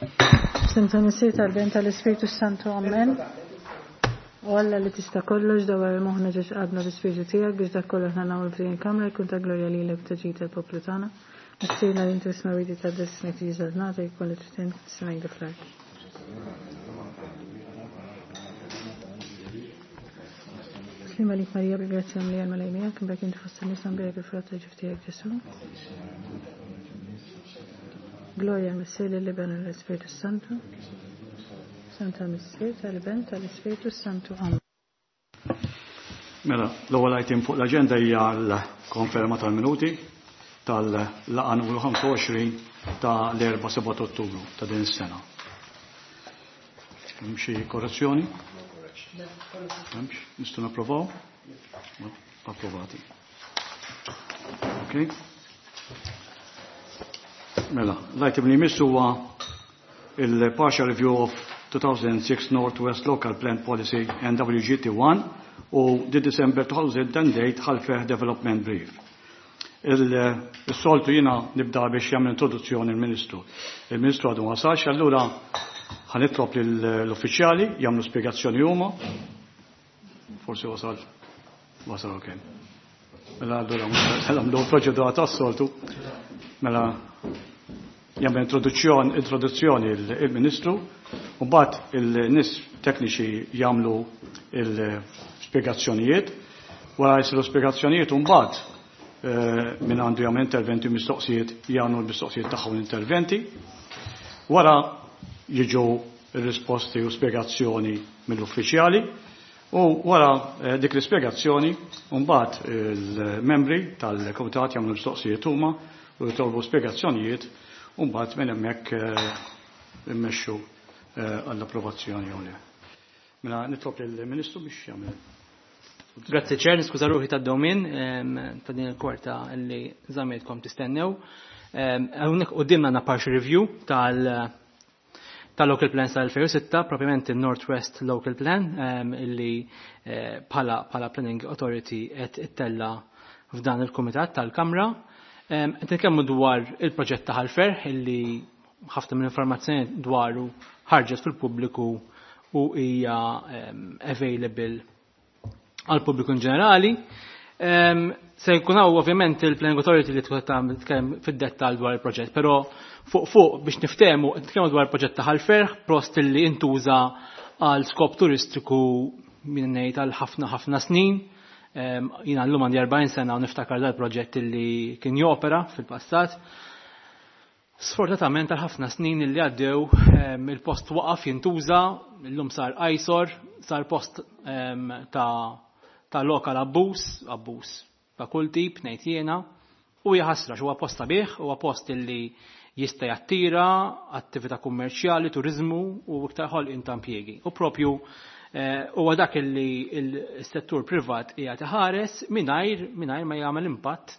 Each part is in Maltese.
F'isem tal-Missier tal-Ben tal-Ispirtu Santu, Amen. O Alla li tista' kollox dawar moħħna ġiex għadna l-Ispirtu tiegħek biex dak kollu aħna nagħmlu f'din il-kamra jkun ta' glorja lilek u ta' ġid tal-poplu tagħna. Missierna li inti smawidi ta' ismek tiġi żalnata jkun li trid fis-sema fl-art. Slim għalik Marija bil-grazzja mlija l-Mulej miegħek, imbagħad inti fost in-nisa mbierek il-frott ta' ġuf tiegħek Ġesù. Gloria al-Missier lill-Iben u l-Ispirtu Santu. Santa Missier tal-Iben tal-Ispirtu Santu. Amen. Mela, l-ewwel item fuq l-aġenda hija l-konferma tal-minuti tal-laqgħa numru 25 ta' l-4 7 Ottubru ta' din is-sena. Hemm xi korrezzjoni? Hemmx? Nistgħu napprovaw? Approvati. Ok. Mela, l-item li jmiss huwa il-Partial Review of 2006 Northwest Local Plan Policy NWGT1 u the December 2008 Ħal Ferħ Development Brief. Il-soltu jina nibda biex jagħmel introduzzjoni il-Ministru. Il-Ministru għadu ma wasalx, allura ħa nitlob l-uffiċjali jagħmlu spjegazzjoni huma. Forsi wasal. Wasal ok. Mela allura nagħmlu proċedura tas-soltu. Mela jagħmel introduzzjoni introduzzjoni il-Ministru u mbagħad il-nies tekniċi jagħmlu il-spjegazzjonijiet. Wara jsiru spjegazzjonijiet u mbagħad min għandu jagħmel interventi u mistoqsijiet jagħmlu l-mistoqsijiet tagħhom l-interventi. Wara jiġu risposti u spjegazzjoni mill-uffiċjali u wara dik l-ispjegazzjoni mbagħad il-membri tal-kumitat jagħmlu mistoqsijiet huma u jitolbu spjegazzjonijiet u mbagħad minn hemmhekk immexxu għall-approvazzjoni jew le. Mela nitlob lill-Ministru biex jagħmel. Grazzi Chair, niskuża ruħi tad-dewmien ta' din il-kwarta li żammejtkom tistennew. Hawnhekk quddiemna għandna partial review tal tal-Local Plan tal-2006, propjament il-Northwest Local Plan, illi bħala Planning Authority qed ittella f'dan il-Kumitat tal-Kamra. Qed nitkellmu dwar il-proġett ta' Ħal Ferħ illi ħafna mill-informazzjoni dwaru ħarġet fil-pubbliku u hija available għal pubbliku in ġenerali. Se jkun hawn ovvjament il-Planning Authority li tkun qed titkellem fid-dettall dwar il-proġett, però fuq fuq biex niftehmu nitkellmu dwar il-proġett ta' Ħal Ferħ, post li intuża għal skop turistiku minn ngħid għal ħafna ħafna snin. Jiena llum għandi 40 sena u niftakar dal-proġett li kien jopera fil-passat. Sfortunatament għal ħafna snin li għaddew il-post waqaf jintuża, illum sar eyesore, sar post ta' lokal abbuż, abbuż ta' kull tip ngħid jiena, u hija ħasra huwa post sabiħ, huwa post illi jista' jattira attività kummerċjali, turiżmu u iktar ħolqien ta' impjiegi. U propju huwa dak illi s-settur privat qiegħed iħares mingħajr ma jagħmel impatt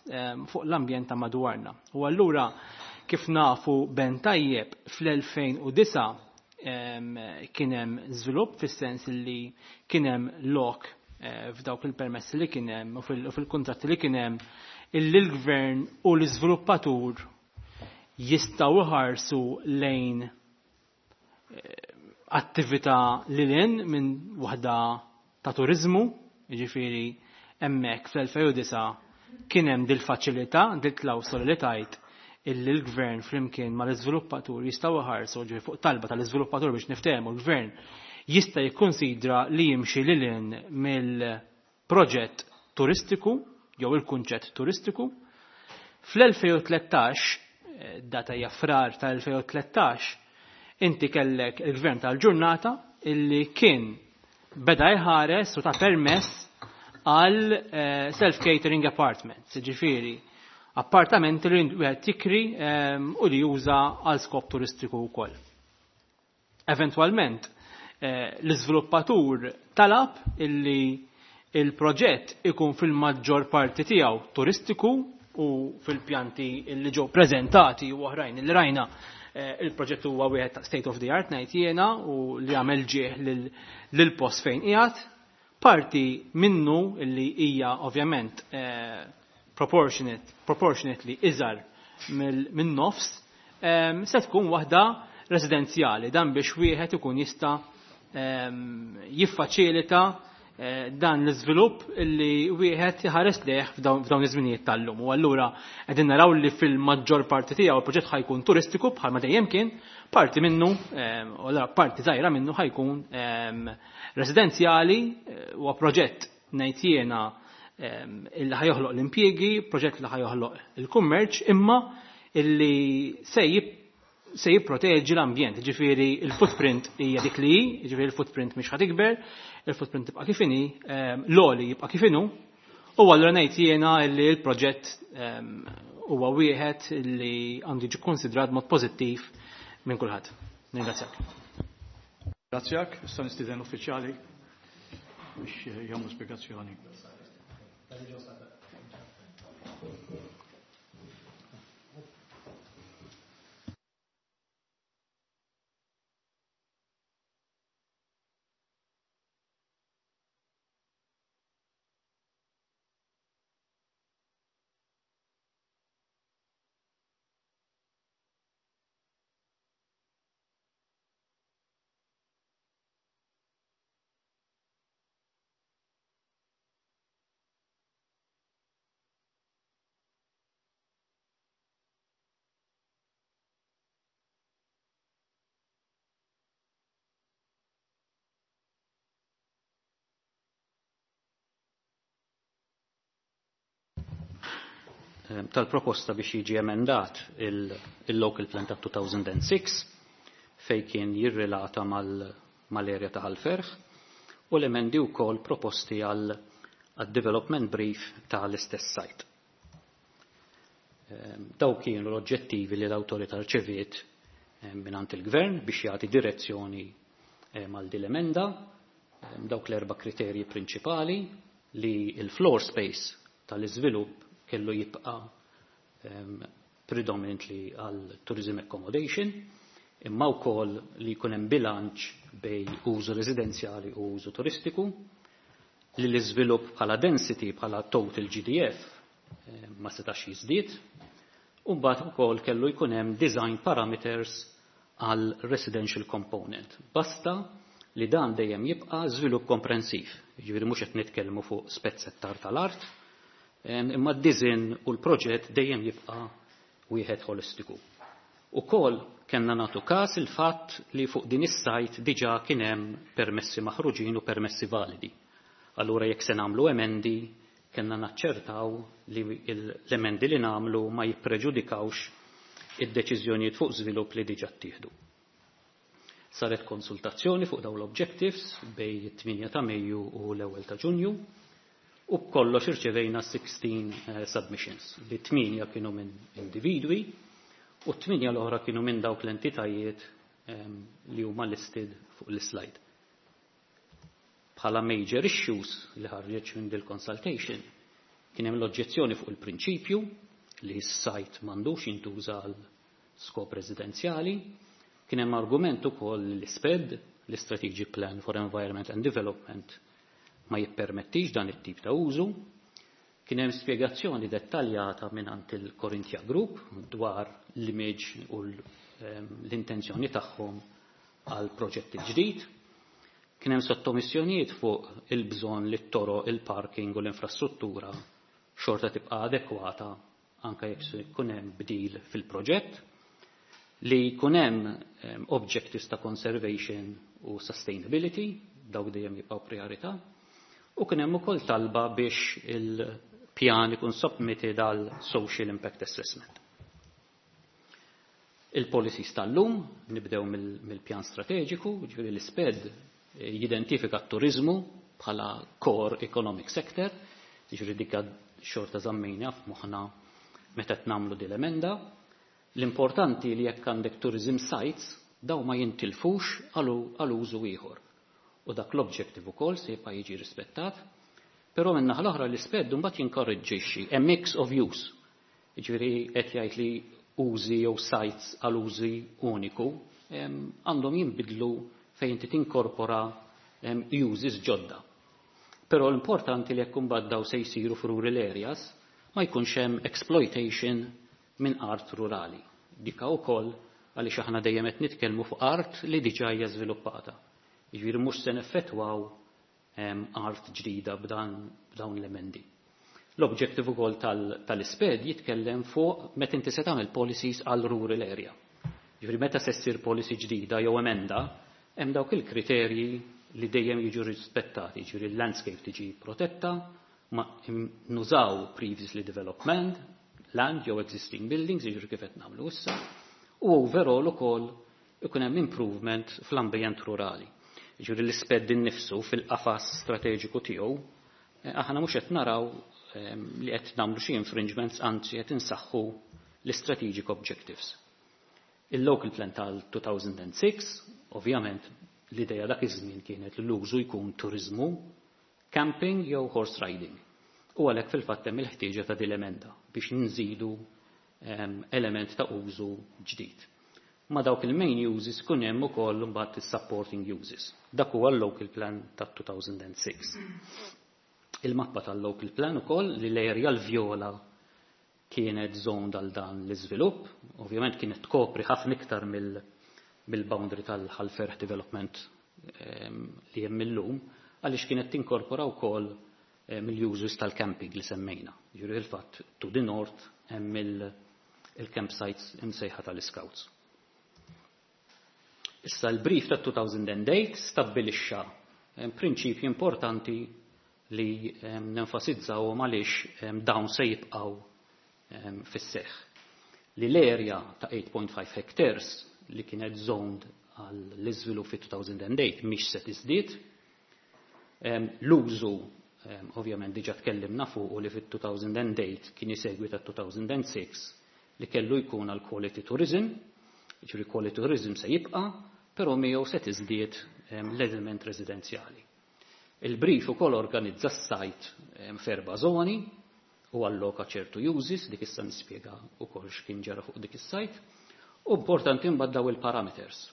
fuq l-ambjent ta' madwarna. U allura kif nafu ben tajjeb fl-2009 kien hemm żvilupp fis-sens li kien hemm lok f'dawk il-permessi li kien hemm u fil-kuntratti li kien hemm illi l-gvern u l-iżviluppatur jistgħu iħarsu lejn attività lil hinn minn waħda ta' turiżmu, jiġifieri hemmhekk fl-2009 kien hemm dil-faċilità, dil-klawsola li tajt illi l-gvern flimkien mal-iżviluppatur jistgħu iħarsu, ġifieri fuq talba tal-iżviluppatur biex niftehmu l-gvern jista' jikkonsidra li jimxi lil hinn mill-proġett turistiku jew il-kunċett turistiku. Fl-2013, data hija frar tal-2013, inti kellek il-gvern tal-ġurnata illi kien beda jħares u ta' permess għal self-catering apartments, ġifieri appartamenti li wieħed tikri u li juża għal skop turistiku wkoll. Eventwalment, l-iżviluppatur talab illi il-proġett ikun fil-maġġor parti tiegħu turistiku u fil-pjanti li ġew preżentati u oħrajn li rajna il-proġett huwa wieħed ta' state of the art ngħid jiena u li għamel ġieħ lil post fejn qiegħed. Parti minnu li hija ovvjament proportionately iżgħar minn nofs se tkun waħda residenzjali, dan biex wieħed ikun jista' jiffaċilita dan l-iżvilupp li wieħed iħares lejh f'dawn iż-żminijiet tal-lum. U allura qegħdin naraw li fil-maġġor parti tiegħu il-proġett ħa jkun turistiku bħalma dejjem kien, parti minnu, u allura parti żgħira minnu ħa jkun residenzjali, huwa proġett ngħid jiena illi ħa joħloq l-impjiegi, proġett li ħa joħloq il-kummerċ, imma illi se jipproteġi l-ambjent, ġifieri il-footprint hija dik li hi, ġifieri il-footprint mhix ħa tikber, il-footprint tibqa' kif inhi, l-għoli jibqa' kif inhu, u allura ngħid jiena li l-proġett huwa wieħed li għandu jiġi kkonsidrat mod pożittiv minn kulħadd. Ningrazzjak. Grazzjak, issa nistieden l-uffiċjali biex jagħmlu spjegazzjoni. Tal-proposta biex jiġi emendat il-Local Plan ta' 2006 fej kien jirrelata mal-area ta' Ħal Ferħ u l-emendi wkoll proposti għal development brief tal-istess site. Daw kienu l-oġġettivi li l-awtorità rċeviet mingħand il-gvern biex jagħti direzzjoni mal din l-emenda, dawk l-erba' kriterji prinċipali li il-floor space tal-iżvilupp kellu jibqa' predominantly għal tourism accommodation, imma wkoll li jkun hemm bilanċ bej użu residenzjali u użu turistiku, li l-iżvilupp bħala density bħala total GDF ma setax jiżdied, u mbagħad ukoll kellu jkun hemm design parameters għal residential component. Basta li dan dejjem jibqa' żvilupp komprensiv, jiġifieri mhux qed nitkellmu fuq spezzettar tal-art, imma d-design u l-proġett dejjem jibqa' wieħed holistiku. Ukoll kellna nagħtu każ il-fatt li fuq din is-sajt diġà kien hemm permessi maħruġin u permessi validi. Allura jekk se nagħmlu emendi, kellna naċċertaw li l-emendi li nagħmlu ma jippreġudikawx id-deċiżjonijiet fuq żvilupp li diġà ttieħdu. Saret konsultazzjoni fuq dawn l-objectives bej it-8 ta' Mejju u l-1 ta' Ġunju u b'kollox irċevejna 16 submissions li 8 kienu minn individwi u 8 l-oħra kienu minn dawk l-entitajiet li huma listed fuq l-slide. Bħala major issues li ħarġet minn dil consultation kien hemm l-oġġezzjoni fuq il-prinċipju li s-sajt m'għandux jintuża għal skop residenzjali, kien hemm argument ukoll li l-SPED, l-Strategic Plan for Environment and Development, ma jippermettix dan it-tip ta' użu. Kien hemm spjegazzjoni dettaljata mingħand il-Corinthia Group dwar l-image u l-intenzjoni tagħhom għal proġett ġdid. Kien hemm sottomissjonijiet fuq il-bżonn li t-toroq, il-parking u l-infrastruttura xorta tibqa' adekwata anke jekk se jkun hemm bdil fil-proġett, li jkun hemm objectives ta' conservation u sustainability, dawk dejjem jibqgħu priorità, u kien hemm ukoll talba biex il-pjan ikun submitted għal social impact assessment. Il-policies tal-lum, nibdew mill-pjan strateġiku, ġifieri l-SPED jidentifika t-turizmu bħala core economic sector, ġifieri dik xorta żammejna f'moħħna meta qed nagħmlu din l-emenda. L-importanti li jekk għandek tourism sites, daw ma jintilfux għal użu ieħor. U dak l-objective ukoll se jibqa' jiġi rispettat, però minn naħa l-oħra l-SPED mbagħad jinkoraġġixxi a mix of use. Jiġifieri qed jgħid li użi jew sites għal użi uniku għandhom jinbidlu fejn inti tinkorpora uses ġodda. Però l-importanti li jekk imbagħad daw se jsiru f'rural areas ma jkunx hemm exploitation minn art rurali. Dika wkoll Għaliex aħna dejjem qed nitkellmu fuq art li diġà hija żviluppata. Jiġifieri mhux se neffettwaw art ġdida b'dawn l-emendi. L-objective ukoll tal-SPED jitkellem fuq meta inti se tagħmel policies għal rural area. Jiġifieri meta se ssir policy ġdida jew emenda, hemm dawk il-kriterji li dejjem jiġu rispettati, jiġifieri l-landscape tiġi protetta, ma nużaw previously developed land jew existing buildings, jiġifieri kif qed nagħmlu issa, u overall ukoll ikun hemm improvement fl-ambjent rurali. Jiġifieri l-SPED innifsu fil-qafas strateġiku tiegħu, aħna mhux qed naraw li qed nagħmlu xi infringements, anzi qed insaħħu l-strategic objectives. Il-local plan tal-2006, ovvjament l-ideja dak iż-żmien kienet li l-użu jkun turizmu, camping jew horse riding. U għalhekk fil-fatt hemm il-ħtieġa ta' din l-emenda biex nżidu element ta' użu ġdid. Ma dawk il-main uses kun hemm ukoll imbagħad is-supporting uses. Dak huwa l-local plan ta' 2006. Il-mappa tal-local plan ukoll li l-area l-vjola kienet zoned għal dan l-iżvilupp, ovvjament kienet tkopri ħafna iktar mill-boundary tal-Ħal Ferħ Development li hemm illum, għaliex kienet tinkorpora wkoll mill-uses tal-camping li semmejna. Jiġifieri il-fatt to the north hemm il-campsites imsejħa tal-Scouts. Issa l-brief ta' 2008 stabbilixxa prinċipji importanti li nenfasizzaw għaliex dawn se jibqgħu fis-seħħ. Li l-area ta' 8.5 hectares li kienet zoned għall-iżvilupp fi 2008 mhix se tiżdied. L-użu ovvjament diġà tkellimna fuq u li fit-2008 kien isegwi ta' 2006 li kellu jkun għal quality tourism, jiġifieri quality tourism se jibqa', però miegħu se tiżdied l-element residenzjali. Il-brief ukoll organizza s-site f'erba' zoni u alloka ċertu uses, dik issa nispjega ukoll x'kien ġara fuq dik is-site. U importanti mbagħad daw il-parameters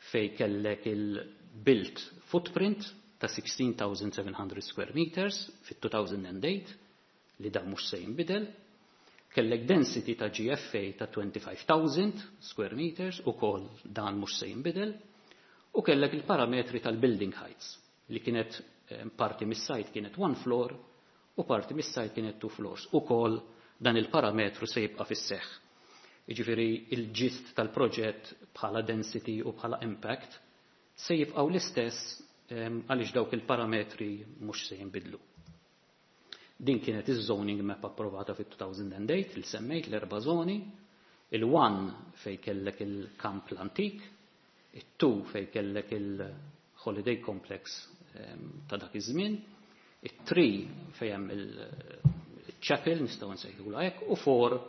fej kellek il-built footprint ta' 16,700 square meters fit-2008 li dan mhux se jinbidel, kellek density ta' GFA ta' 25,000 square meters ukoll dan mhux se jinbidel, u kellek il-parametri tal-building heights li kienet parti mis-site kienet one floor u parti mis-site kienet two floors. Ukoll dan il-parametru se jibqa' fis-seħħ. Jiġifieri il-gist tal-proġett bħala density u bħala impact se jibqgħu l-istess għaliex dawk il-parametri mhux se jinbidlu. Din kienet iż-zoning map approvata fit-2008 il semmejt l-erba' zoni, il-1 fej kellek il-kamp l-antik, it-2 fej kellek il-holiday complex ta' dak iż-żmien, it-3 fej hemm il-chapel nistgħu nsejħulha hekk, u 4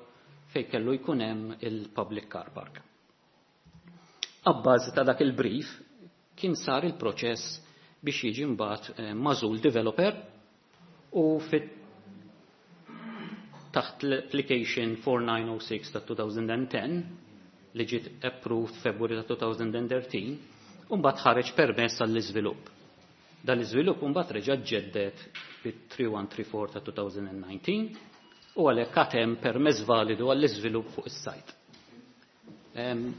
fej kellu jkun hemm il-public car park. Abbażi ta' dak il-brief kien sar il-proċess biex jiġi mbagħad magħżul developer u fit taħt l-application 4906 ta' 2010 li ġiet approved February ta' 2013 u mbagħad ħareġ permess għall-iżvilupp. Dan l-iżvilupp mbagħad reġa' ġeddet bit-3134 ta' 2019 u għalhekk għad hemm permess validu għall-iżvilupp fuq is-site.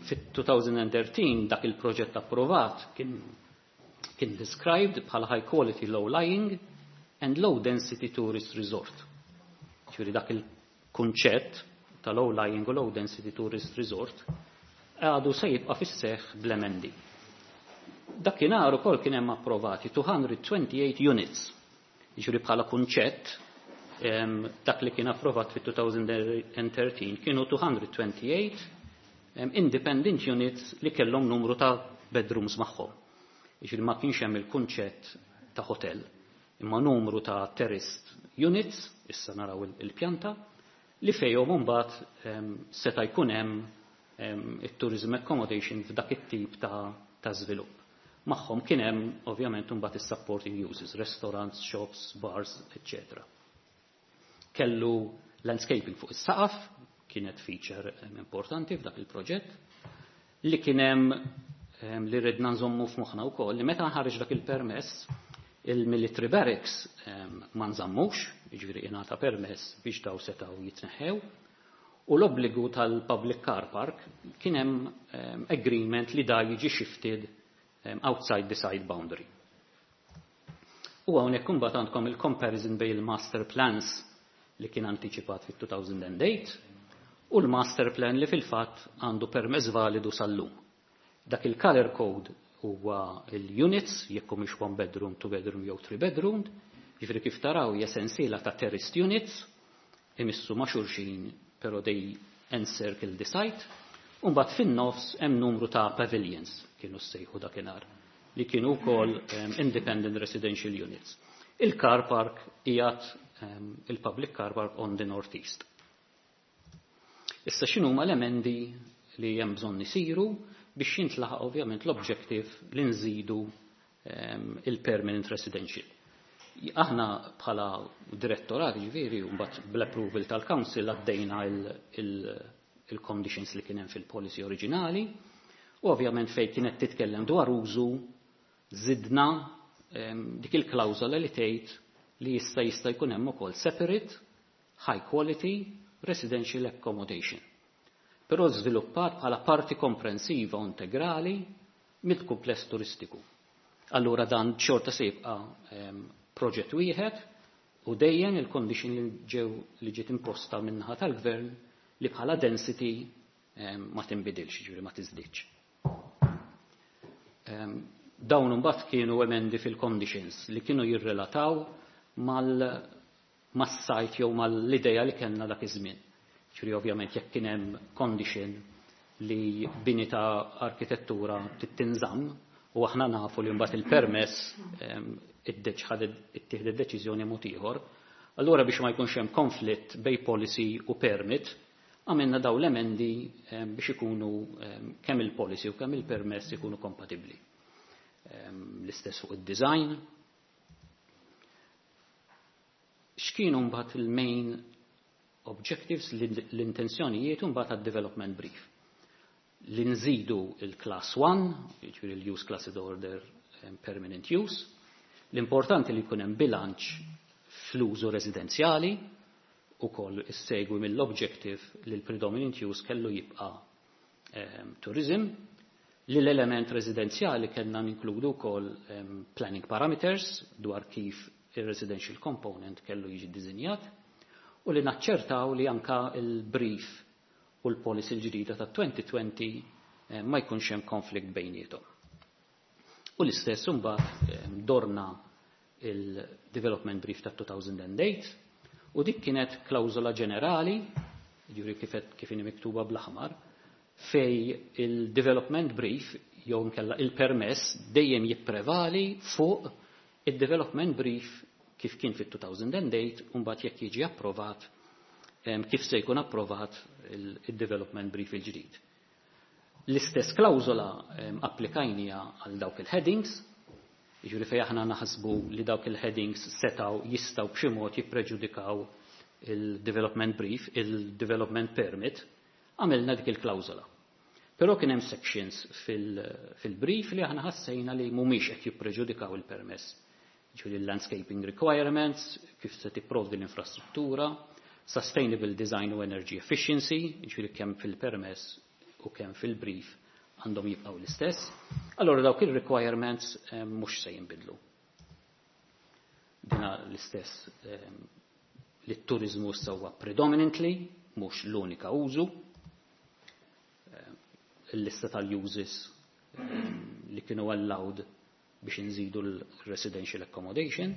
Fit-2013 dak il-proġett approvat kien described bħala high quality low lying and low density tourist resort. Ġifieri dak il-kunċett ta' low lying u low density tourist resort għadu se jibqa' fis-seħħ bl-emendi. Dakinhar ukoll kien hemm approvati 228 units. Jiġifieri bħala kunċett dak li kien approvat fit-2013 kienu 228 independent units li kellhom numru ta' bedrooms magħhom. Jiġifieri ma kienx hemm il-kunċett ta' hotel, imma numru ta' terraced units, issa naraw il-pjanta, li fejhom imbagħad seta' jkun hemm it-tourism accommodation f'dak it-tip ta' żvilupp. Magħhom kien hemm ovvjament imbagħad is-supporting uses, restaurants, shops, bars, etc. Kellu landscaping fuq is-saqaf, kienet feature importanti f'dak il-proġett, li kien hemm li ridna nżommu f'moħħna wkoll li meta nħareġ dak il-permess il-military barracks ma nżammux, jiġifieri ingħata permess biex daw setgħu jitneħħew, U l-obbligu tal-public car park kien hemm agreement li da jiġi shifted outside the site boundary. U hawnhekk imbagħad għandkom il-comparison bejn il-master plans li kien antiċipat fit-2008 u l-master plan li fil-fatt għandu permess validu sal-lum. Dak il-color code huwa il-units, jekk mhix one bedroom, two bedroom jew three bedroom, jiġifieri kif taraw hija sensiela ta' terraced units, imissu ma' xulxin però they encircle the site, u mbagħad fin-nofs hemm numru ta' pavilions kienu ssejħu dakinhar li kienu wkoll independent residential units. Il-car park qiegħed il-public car park on the northeast. Issa x'inhuma l-emendi li hemm bżonn isiru biex jintlaħaq ovvjament l-objective li nżidu il-permanent residential? Aħna bħala direttorat, ġifieri, mbagħad bl-approval tal-council għaddejna il-conditions li kien hemm fil-policy oriġinali u ovvjament fejn kienet titkellem dwar użu zidna dik il-klawżola li tgħid li jista' jkun hemm ukoll separate high quality residential accommodation. Però żviluppat bħala parti komprensiva u integrali mill-kumpless turistiku. Allura dan xorta se jibqa' proġett wieħed u dejjem il-condition li ġiet imposta min-naħa tal-gvern li bħala density ma tinbidilx, ġifieri ma tiżdiedx. Dawn imbagħad kienu emendi fil-conditions li kienu jirrelataw mal- mas-site jew mal-ideja li kellna dak iż-żmien. Ġifieri ovvjament jekk kien hemm condition li bini ta' arkitettura tinżamm u aħna nafu li mbagħad il-permess ittieħdet deċiżjoni mod ieħor, allura biex ma jkunx hemm konflitt bejn policy u permit, għamilna daw l-emendi biex ikunu kemm il-policy u kemm il-permess ikunu kompatibbli. L-istess fuq id-design. X'kienu mbagħad il-main objectives, l-intenzjonijiet mbagħad għad-development brief? Li nżidu il-class 1, jiġifieri l-use class order permanent use, l-importanti li jkun hemm bilanċ fl-użu residenzjali u koll issegwi mill-objective li l-predominant use kellu jibqa tourism, li l-element residenzjali kellna ninkludu wkoll planning parameters dwar kif il-residential component kellu jiġi dizinjat u li naċċertaw li anka il-brief u l-policy l-ġdida ta' 2020 ma jkunx hemm konflikt bejniethom. U l-istess imbagħad dorna il-development brief ta' 2008 u dik kienet klawżola ġenerali, ġifieri kif inhi miktuba bl-aħmar, fej il-development brief jew nkella il-permess dejjem jipprevali fuq il-development brief kif kien fit-2008 u mbagħad jekk jiġi approvat kif se jkun approvat il-development brief il-ġdid. L-istess klawżola applikajnija għal dawk il-headings, jiġifieri fejn aħna naħsbu li dawk il-headings setaw jistgħu b'xi mod jippreġudikaw il-development brief, il-development permit, għamilna dik il-klawżola. Però kien hemm sections fil-brief li aħna ħassejna li mhumiex qed jippreġudikaw il-permess. Ġifieri l-landscaping requirements, kif se tipprovdi l-infrastruttura, sustainable design u energy efficiency, ġifieri kemm fil-permess u kemm fil-brief għandhom jibqgħu l-istess. Allora dawk il-requirements mhux se jinbidlu. Dina l-istess li t-turizmu huwa predominantly, mhux l-unika użu. Il-lista tal-uses li kienu allowed biex nżidu l-residential accommodation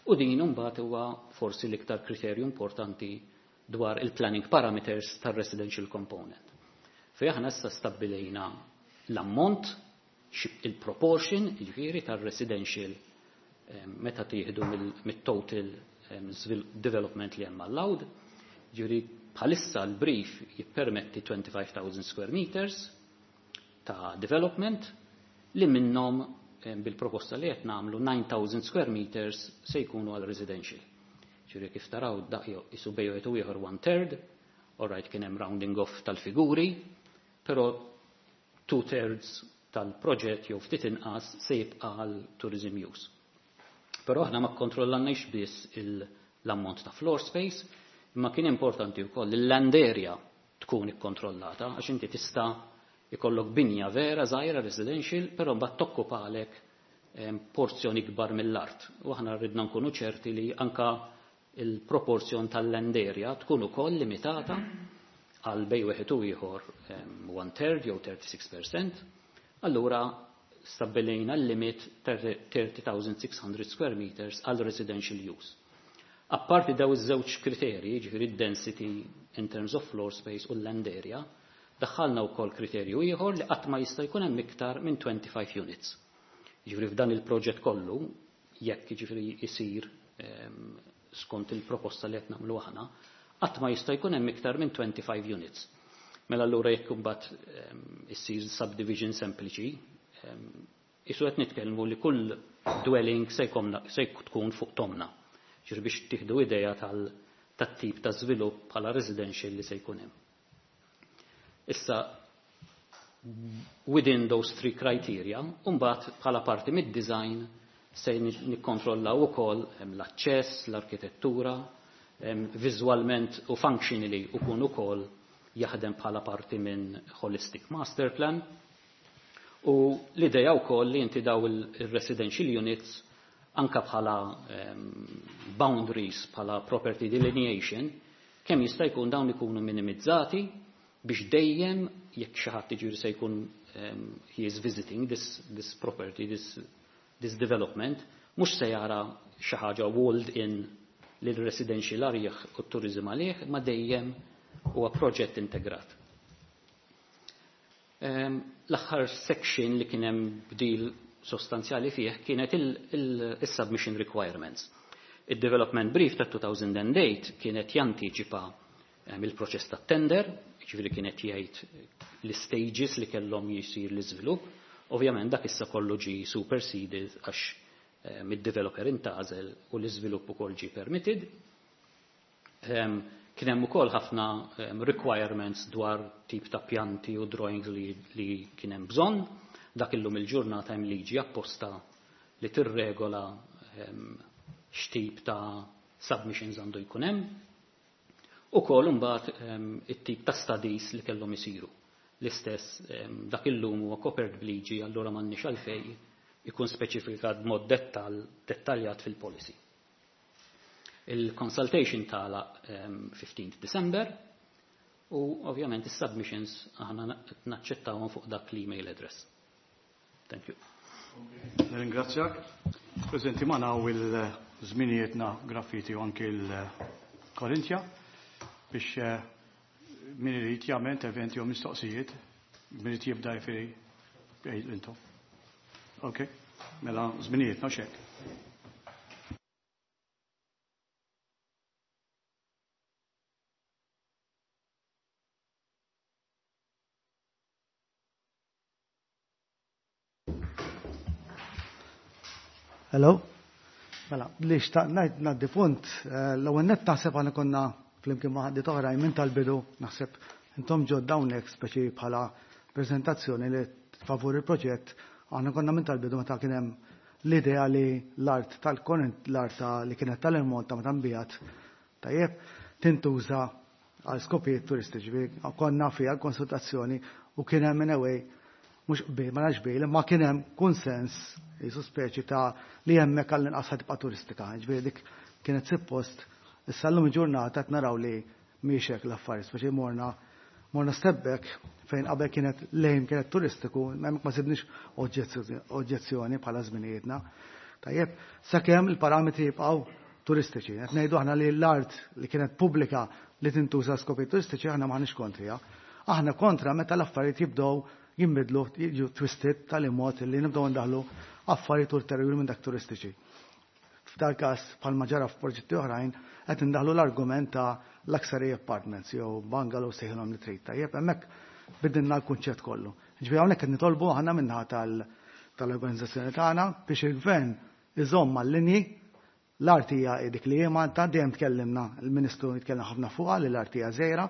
u din mbagħad huwa forsi l-iktar kriterju importanti dwar il-planning parameters tal-residential component. Fej aħna issa stabbilejna l-ammont, il-proportion, jiġifieri tal-residential meta tieħdu mit-total development li hemm allowed. Ġifieri bħalissa l-brief jippermetti 25,000 square meters ta' development li minnhom bil-proposta li qed nagħmlu 9,000 square meters se jkunu għal residential. Ġifieri kif taraw daq isu bejn wieħed u ieħor one third, all right, kien hemm rounding off tal-figuri, però 2/3 tal-proġett jew ftit inqas se jibqa' għal tourism use. Però aħna ma kkontrollanniex biss l-ammont ta' floor space, imma kien importanti wkoll il-land area. tkun ikkontrollata, għax inti tista' ikollok binja vera żgħira residential, però mbagħad tokkupalek porzjon ikbar mill-art. U aħna rridna nkunu ċerti li anka il-proporzjon tal-land area tkun ukoll limitata għal bejn wieħed u ieħor one third jew 36%. Allura stabbilejna l-limit 30,600 square meters għal residential use. Apparti daw iż-żewġ kriterji, ġifieri density in terms of floor space u land area, daħħalna wkoll kriterju ieħor li qatt ma jista' jkun hemm iktar minn 25 units. Ġifieri f'dan il-proġett kollu, jekk ġifieri jsir skont il-proposta li qed nagħmlu aħna, qatt ma jista' jkun hemm iktar minn 25 units. Mela allura jekk imbagħad issir subdivision sempliċi, isu qed nitkellmu li kull dwelling se tkun fuq tomna. Ġifieri biex tieħdu idea tat-tip ta' żvilupp bħala residential li se jkun hemm. Issa, within those three criteria, mbagħad bħala parti mid-design se nikkontrollaw ukoll l-aċċess, l-arkitettura, viżwalment u functionally ukun ukoll jaħdem bħala parti minn holistic master plan. U l-idea wkoll li inti daw il-residential units anka bħala boundaries, bħala property delineation, kemm jista' jkun dawn ikunu minimizzati biex dejjem jekk xi ħadd jiġifieri se jkun he is visiting this property, this development, mhux se jara xi ħaġa walled in lil residential għalih u t-turizm għalih, ma dejjem huwa proġett integrat. L-aħħar section li kien hemm bdil sostanzjali fih kienet il-submission requirements. Il-development brief ta' 2008 kienet jantiċipa il-proċess ta' tender, ġifieri kienet jgħid l-stages li kellhom jisir l-iżvilupp. Ovvjament dak issa kollu ġi superseded għax mid-developer intgħażel u l-iżvilupp ukoll ġi permitted. Kien hemm ukoll ħafna requirements dwar tip ta' pjanti u drawings li kien hemm bżonn. Dak illum il-ġurnata hemm liġi apposta li tirregola x'tip ta' submissions għandu jkun hemm. Ukoll imbagħad it-tip ta' studies li kellhom isiru. L-istess dak illum huwa kopert b'liġi, allura m'għandniex għalfejn ikun speċifikat b'mod dettaljat fil-policy. Il-consultation tala 15 December u ovvjament is-submissions aħna naċċettawhom fuq dak l-email address. Thank you. Ringrazzjak. Preżenti magħna u l-żminijietna graffiti u anki l-Korintja biex min irid jagħmel interventi u mistoqsijiet, min irid jibda jfiri intom. Ok, mela żminijietna xek. Hello? Mela, li xtaqt ngħid ngħaddi punt, l-ewwel nett naħseb għandna konna flimkien ma' ħaddiet oħrajn minn tal-bidu, naħseb intom ġodda hawnhekk speċi bħala preżentazzjoni li favur il-proġett, aħna konna minn tal-bidu meta kien hemm l-idea li l-art tal-Korint, l-art li kienet tal-Malta meta nbigħet, tajjeb, tintuża għal skopijiet turistiċi. Konna fiha konsultazzjoni u kien hemm in a way, mhux qbil, ma nafx qbil, imma kien hemm konsens jisu speċi ta' li hemmhekk għall-inqas ħa tibqa' turistika. Ġifieri dik kienet suppost, issa llum il-ġurnata qed naraw li mhix hekk l-affarijiet, speċi morna step back fejn qabel kienet lejn kienet turistiku, hemmhekk ma sibniex oġġezzjoni bħala żminijietna. Tajjeb, sakemm il-parametri jibqgħu turistiċi. Qed ngħidu aħna li l-art li kienet pubblika li tintuża skopi turistiċi aħna m'aħniex kontrija. Aħna kontra meta l-affarijiet jibdew jinbidlu, jiġu twisted tal-imod li nibdew ndaħlu affarijiet ulterjuri minn dak turistiċi. F'dal każ bħalma ġara f'proġetti oħrajn qed indaħlu l-argument ta' luxury apartments jew bungalow sejħilhom li trid. Tajjeb, hemmhekk bidilna l-kunċett kollu. Ġifieri hawnhekk qed nitolbu aħna minnaħa tal-organizzazzjoni tagħna biex il-gvern iżomm mal-linji. L-art hija dik li hi Malta, dejjem tkellimna, il-Ministru jitkellem ħafna fuqha li l-art hija żgħira.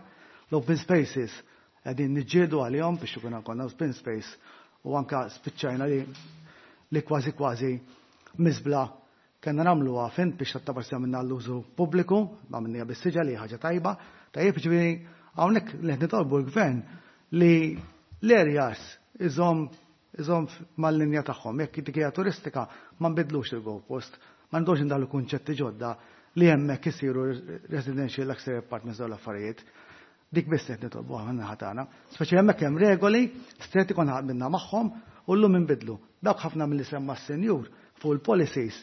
L-open spaces qegħdin niġġieldu għalihom biex ikun konna open space u anka spiċċajna li kważi kważi miżbla kellna nagħmluha fin biex tattaparsi minna l-użu pubbliku, ma minnija bis-siġa li ħaġa tajba. Tajjeb, ġifieri Hawnhekk li qed nitolbu l-gvern li l-areas iżomm iżomm mal-linja tagħhom. Jekk dik hija turistika ma nbidlux il-goalpost, ma ndox indaħlu kunċetti ġodda li hemmhekk isiru residential luxury apartments dawn l-affarijiet. Dik biss qed nitolbu aħna naħa tagħna. Speċi hemmhekk hemm regoli stretti konna qbilna magħhom u llum inbidlu. Dawk ħafna milli semma s-senjur fuq il-policies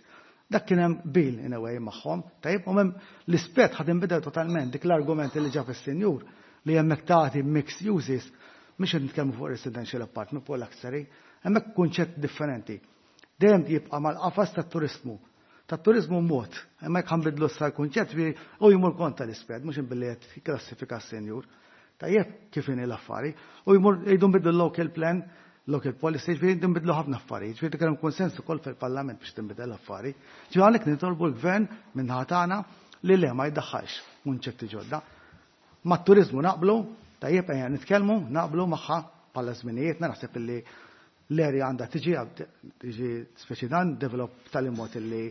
dak kien hemm bil in a way magħhom, tajjeb, u hemm l-ispett ħad inbidel totalment dik l-argument li ġab is-senjur li hemmhekk tagħti mixed uses mhux qed nitkellmu fuq residential apartment fuq luxury, hemmhekk kunċett differenti. Dejjem jibqa' mal-qafas tat-turismu. Tat-turizmu mod, imma jekk ħa nbiddlu issa l-kunċett u jmur kontra l-ispett, mhux billi qed klassifika s-senjur. Tajjeb kif inhi l-affari. U jmur jgħidu nbidlu local plan, local policy, ġifieri nbidlu ħafna affarijiet, ġifieri kellhom konsens ukoll fil-Parlament biex tinbidel l-affari. Ġifieri għalhekk nitolbu l-gvern minn tagħna li le ma jdaħħalx kunċetti ġodda. Mat-turizmu naqblu, tajjeb ejja nitkellmu, naqblu magħha bħala żminijiet, naħseb illi l-area għandha tiġi speċi dan develop tal-imot illi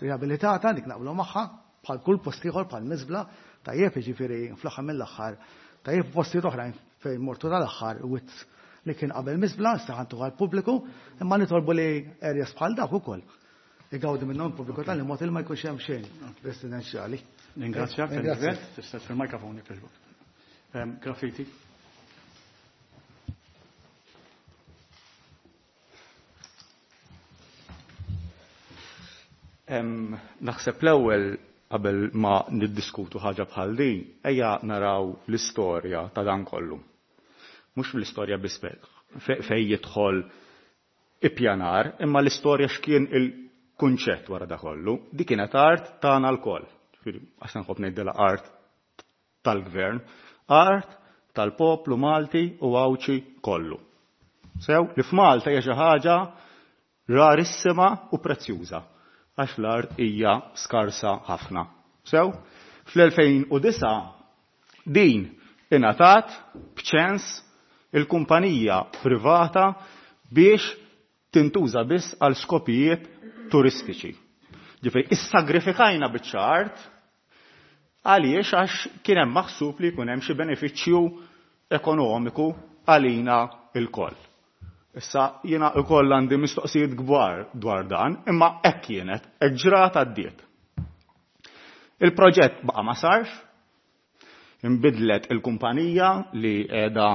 riabilitata dik naqblu magħha bħal kull post ieħor bħal miżbla, tajjeb jiġifieri fl-aħħar mill-aħħar, tajjeb postijiet oħrajn fejn mortu tal-aħħar wit li kien qabel miżbla, issa ħantu għall-pubbliku, imma nitolbu li areas bħal dak ukoll. Igawdi minnhom pubbliku tal-imot il ma jkunx hemm xejn residenzjali. Ningrazzjak tal-intervent, tista' fil-mikrofon jekk jogħġbok. Graffiti. Naħseb l-ewwel qabel ma niddiskutu ħaġa bħal din, ejja naraw l-istorja ta' dan kollu. Mhux l-istorja biss fej jidħol ippjanar, imma l-istorja x'kien il-kunċett wara da kollu. Dik kienet art tagħna lkoll. Għax nħobb ngħidilha art tal-gvern, art tal-poplu Malti u Għawdxi kollu. Sew li f'Malta hija xi ħaġa rarissima u prezzjuża għax l-art hija skarsa ħafna. Sew, fl-2009 din ingħatat b'ċens il-kumpanija privata biex tintuża biss għal skopijiet turistiċi. Ġifieri issagrifikajna biċċa art għaliex għax kien hemm maħsub li jkun hemm xi benefiċċju ekonomiku għalina lkoll. Issa jiena wkoll għandi mistoqsijiet kbar dwar dan, imma hekk kienet, hekk ġrat għaddiet. Il-proġett baqa' ma sarx, inbidlet il-kumpanija li qiegħda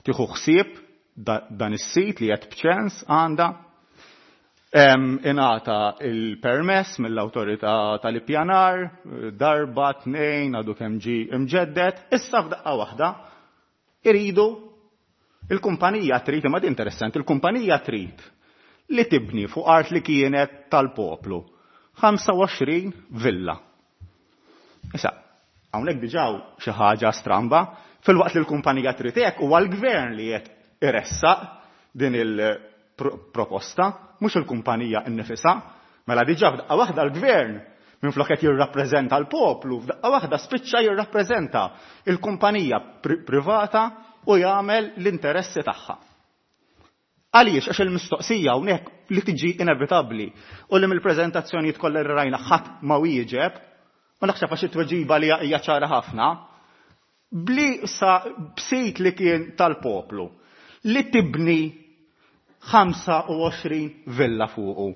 tieħu ħsieb dan is-sit li qed b'ċens għandha. Ingħata il-permess mill-awtorità tal-ippjanar, darba, tnejn, għadu kemm ġie imġedded, issa f'daqqa waħda iridu il-kumpanija trid, imma din interessanti, il-kumpanija trid li tibni fuq art li kienet tal-poplu 25 villa. Issa, hawnhekk diġà xi ħaġa stramba, filwaqt li l-kumpanija trid hekk huwa l-gvern li qed iressaq din il-proposta, mhux il-kumpanija nnifisha. Mela diġà f'daqqa waħda l-gvern minflok qed jirrappreżenta l-poplu, f'daqqa waħda spiċċa jirrappreżenta il-kumpanija privata u jagħmel l-interessi tagħha. Għaliex? Għax il-mistoqsija hawnhekk li tiġi inevitabbli u li mill-preżentazzjonijiet kollha li rajna ħadd ma wieġeb, u naħseb għax it-tweġiba li hija ċara ħafna, bli sa b'sit li kien tal-poplu li tibni 25 villa fuqu.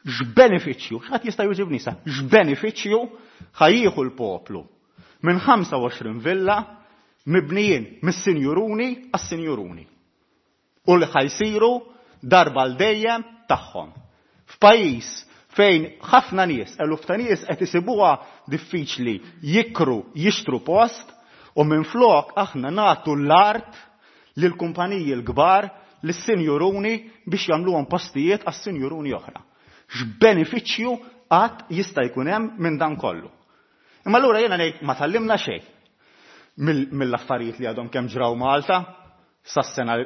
X'benefiċċju, x'ħadd jista' jwieġibni sa, x'benefiċċju ħajjieħu l-poplu minn 25 villa mibnijin mis-sinjuruni għas-sinjuruni u li ħajsiru darba l dejjem tagħhom. F'pajjiż fejn ħafna nies, eluf ta' nies qed isibuha diffiċli jikru, jixtru post u minflok aħna nagħtu l-art lil kumpaniji l-kbar lis-sinjuruni biex jagħmluhom postijiet għas-sinjuruni oħra. X'benefiċċju qatt jista' jkun hemm minn dan kollu? Imma allura jiena ngħid ma tgħallimna xejn mill-affarijiet li għadhom kemm ġraw Malta sas-sena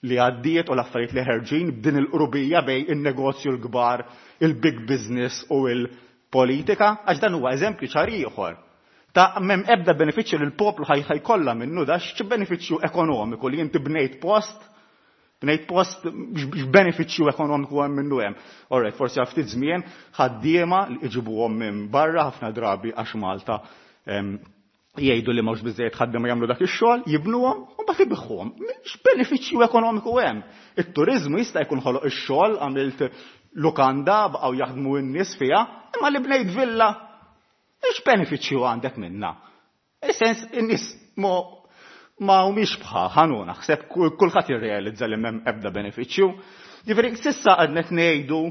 li għaddiet u l-affarijiet li ħerġin b'din il-qrubija bejn in-negozju l-kbar, il-big business u l-politika, għax dan huwa eżempju ċar ieħor ta' m'hemm ebda benefiċċju li l-poplu ħajkollha minnu da x'benefiċċju ekonomiku li inti bnejt post, bnejt post x'benefiċċju ekonomiku hemm minnu hemm. Alright, forsi għal ftit żmien ħaddiema li iġibuhom minn barra ħafna drabi għax Malta. Jgħidu li mhux biżejjed ħaddiema jagħmlu dak ix-xogħol, jibnuhom u mbagħad ibiħħuhom. X'benefiċċju ekonomiku hemm? It-turiżmu jista' jkun ħoloq ix-xogħol, għamilt lukanda, baqgħu jaħdmu n-nies fiha, imma li bnejt villa, x'benefiċċju għandek minnha? Is-sens in-nies ma humiex bħal ħanu naħseb kulħadd jirrealizza li m'hemm ebda benefiċċju. Jiġifieri s'issa għadna qed ngħidu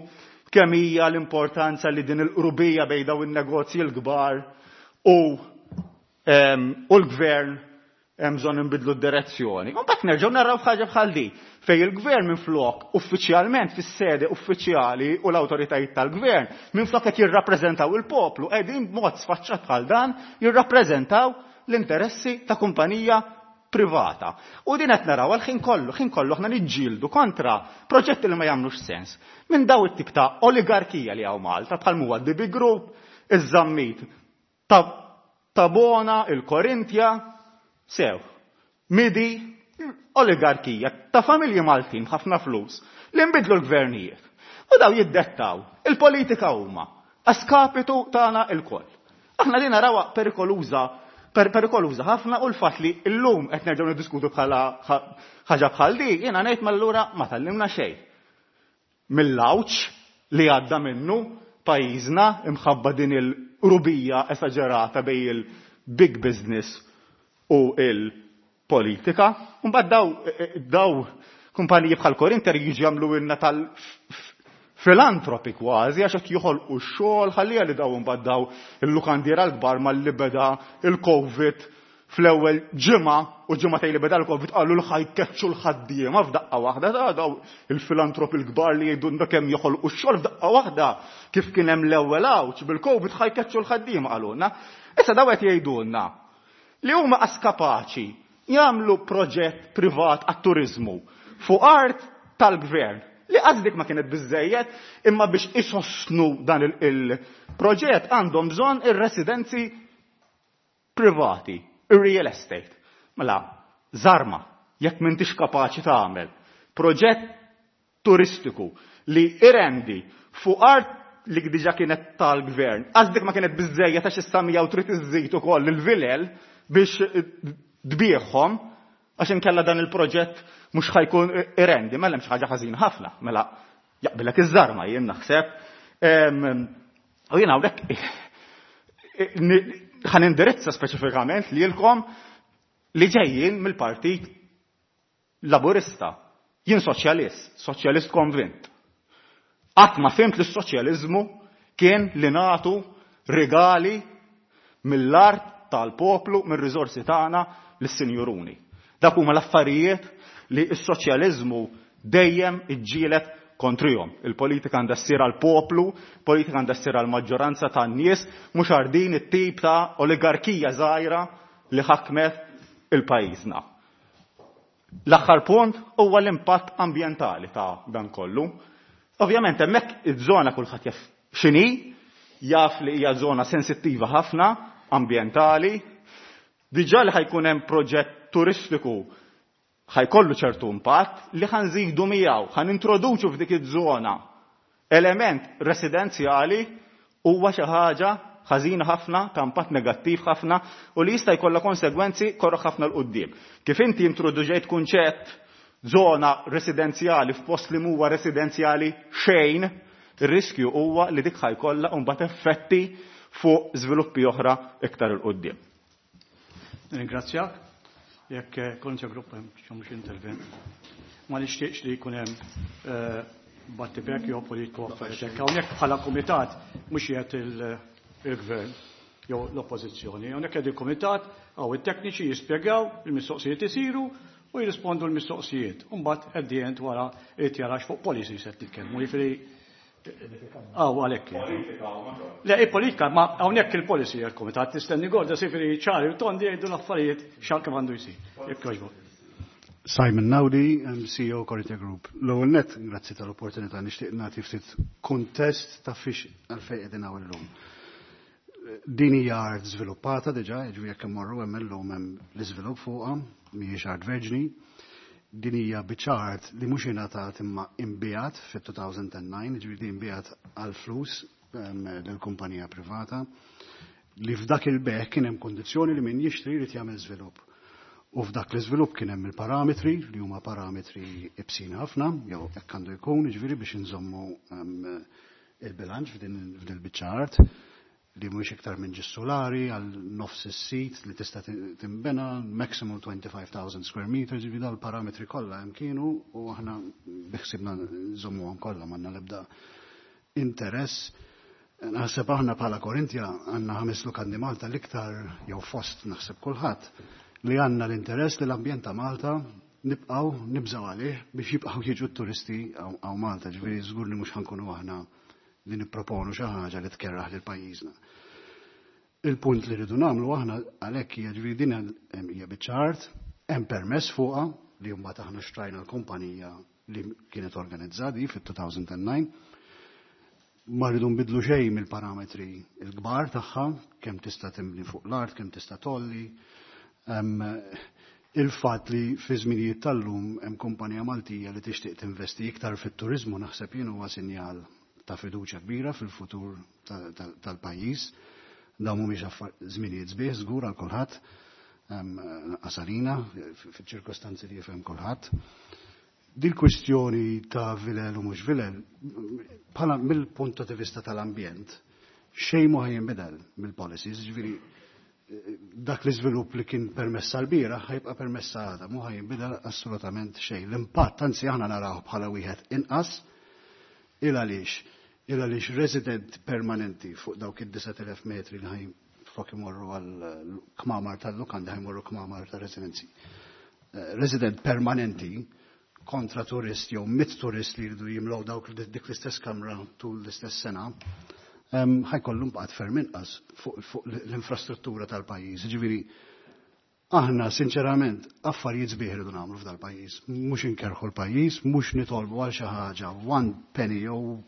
kemm hija l-importanza li din il-qrubija bejn dawn in-negozji l-kbar u l-gvern hemm bżonn inbidlu d-direzzjoni. U mbagħad nerġgħu naraw ħaġa bħal di fejn il-gvern minflok uffiċjalment fis-sede uffiċjali u l-awtoritajiet tal-gvern minflok qed jirrappreżentaw il-poplu qegħdin b'mod sfaċċat bħal dan jirrappreżentaw l-interessi ta' kumpanija privata. U din qed naraw għal ħin kollu, ħin kollu aħna niġġieldu kontra proġetti li ma jagħmlux sens. Minn daw it-tip ta' oligarkija li hawn Malta bħal huwa DB Group, iż-Zammit Tabona, il-Korintja, sew, midi, oligarkija ta' familji Maltin ħafna flus li nbidlu l-gvernijiet. U daw jiddettaw il-politika huma għaskapitu tagħna il-koll. Aħna li narawha perikoluża perikoluża ħafna u l-fatt li llum qed nerġgħu niddiskutu bħala ħaġa bħal di, jiena ngħid m'allura ma tallimna xejn. Mill-għawġ li għadda minnu pajjiżna imħabba din il-qrubija esaġerata bejn il-big business u il-politika. Mbagħad daw daw kumpaniji bħal Corinter jiġu jagħmlu tal filantropi kważi għax qed joħolqu x-xogħol ħallija li daw imbagħad daw il-lukandiera l-kbar malli beda il-Covid fl-ewwel ġimgħa u ġimgħatej li beda l-Covid qalu l ħajkeċċu l-ħaddiema f'daqqa waħda ta' daw il-filantropi l-kbar li jgħidulna kemm joħolqu x-xogħol f'daqqa waħda kif kien hemm l-ewwel għawġ bil-Covid ħajkeċċu l-ħaddiema qalulna. Issa daw qed jgħidulna li huma qas kapaċi jagħmlu proġett privat għat-turiżmu fuq art tal-gvern li qas dik ma kienet biżejjed imma biex isostnu dan il-proġett għandhom bżonn ir-residenzi privati, ir-real estate. Mela, żarma, jekk m'intix kapaċi tagħmel proġett turistiku li irendi fuq art li diġa kienet tal-gvern, għax dik ma kienet biżejjed għax issa miegħu trid iżżid ukoll il-vilel biex tbieħhom għax inkella dan il-proġett mhux ħajkun irendi, mela hemm xi ħaġa ħażina ħafna, mela jaqbilek iż-żarma jien naħseb. U jien hawnhekk ħan indirizza speċifikament lilkom li ġejjin mill-Partit Laburista. Jien soċjalist, soċjalist konvint. Qatt ma fimt li s-soċjaliżmu kien li nagħtu regali mill-art tal-poplu, mir-riżorsi tagħna lis-sinjuruni. Dak huma l-affarijiet li s-soċjaliżmu dejjem iġġielet kontrihom. Il-politika għandha ssir għall-poplu, politika għandha ssir għall-maġġoranza tan-nies, mhux għal din it-tip ta' oligarkija żgħira li ħakmet il-pajjiżna. L-aħħar punt huwa l-impatt ambjentali ta' dan kollu. Ovvjament hemmhekk iż-żona kulħadd jaf x'inhi, jaf li hija żona sensittiva ħafna ambjentali. Diġà li ħajkun hemm proġett turistiku ħajkollu ċertu impatt li ħanżidu miegħu, ħanintroduċu f'dik iż-żona element residenzjali huwa xi ħaġa ħażina ħafna, ta' impatt negattiv ħafna u li jista' jkollha konsegwenzi korroħ ħafna 'l quddiem. Kif inti introduġejt kunċett żona residenzjali f'post li huwa residenzjali xejn, ir-riskju huwa li dik ħajkollha mbagħad effetti fuq żviluppi oħra iktar 'il quddiem. Ringrazzjak. Jekk Corinthia Group hemm xi intervent. Ma nixtieqx li jkun hemm battibek jew politiku affarijiet. Hawnhekk bħala kumitat mhux qiegħed il-gvern jew l-oppożizzjoni. Hawnhekk qed il-kumitat hawn it-tekniċi jispjegaw il-mistoqsijiet isiru u jirrispondu l-mistoqsijiet. U mbagħad at the end wara irid jarax fuq policies qed nitkellmu. Jiġifieri Aw, għalhekk. Le, il-politika, ma hawnhekk il-policy għal-kumitat tistenni gorda sifri ċari u tondi jgħidu l-affarijiet xan kif għandu jsir. Jekk jogħġbok. Simon Naudi, CEO Corinthia Group. L-ewwel nett, grazzi tal-opportunità nixtieq nagħti ftit kuntest ta' fiex għalfejn qegħdin hawn illum. Din hija art żviluppata diġà, jiġifieri jekk immorru hemm illum hemm l-iżvilupp fuqha, mhijiex art verġni. Din hija biċċa art li mhux ingħatat imma inbiegħet fit-2009, jiġifieri din inbiegħet għal flus lill-kumpanija privata. Li f'dak il-bejgħ kien hemm kondizzjoni li min jixtri jrid jagħmel żvilupp. U f'dak l-iżvilupp kien hemm il-parametri li huma parametri ibsin ħafna, jew hekk għandu jkun, jiġifieri biex inżommu il-bilanċ f'din il-biċċa art li mhux iktar minn ġis solari għal nofs is-sit li tista' tinbena maximum 25,000 square meters, jiġifieri dawn il-parametri kollha hemm kienu u aħna biħsibna nżommuhom kollha, m'għandna l-ebda interess. Naħseb aħna bħala Korintia għandna ħames lukandi Malta l-iktar jew fost naħseb kulħadd li għandna l-interess li l-ambjent ta' Malta nibqgħu nibżgħu għalih biex jibqgħu jiġu t-turisti hawn Malta, ġifieri żgur li mhux ħa nkunu aħna li nipproponu xi ħaġa li tkerraħ lil pajjiżna. Il-punt li rridu nagħmlu aħna għalhekk hija, ġifieri din hija biċċa art, hemm permess fuqha li mbagħad aħna xtrajna l-kumpanija li kienet organizzati fit-2009. Ma rridu nbidlu xejn mill-parametri l-kbar tagħha, kemm tista' timbni fuq l-art, kemm tista' tolli. Il-fatt li fi żminijiet tal-lum hemm kumpanija Maltija li tixtieq tinvesti iktar fit-turiżmu naħseb jien huwa sinjal ta' fiduċja kbira fil-futur tal-pajjiż. Dawn mhumiex żminijiet sbieħ żgur għal kulħadd, għasalina fiċ-ċirkostanzi li jifhem kulħadd. Dil kwistjoni ta' vilel u mhux vilel, bħala mill-punt ta' vista tal-ambjent, xejn ma jinbidel mill-policies, ġifieri dak l-iżvilupp li kien permessa l-bieraħ ħa jibqa' permessa għada, mhu ħa jinbidel assolutament xejn. L-impatt anzi aħna naraw bħala wieħed inqas il għaliex il għaliex resident permanenti fuq dawk id-9000 metri li ħaj flok imorru għal kmamar tal-lukanda ħa jmorru kmamar ta' residenzi. Resident permanenti kontra turist jew 100 turist li jridu jimlew dawk dik l-istess kamra tul l-istess sena, ħa jkollu impatt ferm inqas fuq l-infrastruttura tal-pajjiż. Ġifieri, aħna sinċerament affarijiet sbieħ irridu nagħmlu f'dal-pajjiż, mhux inkerħu l-pajjiż, mhux nitolbu għal xi ħaġa one penny jew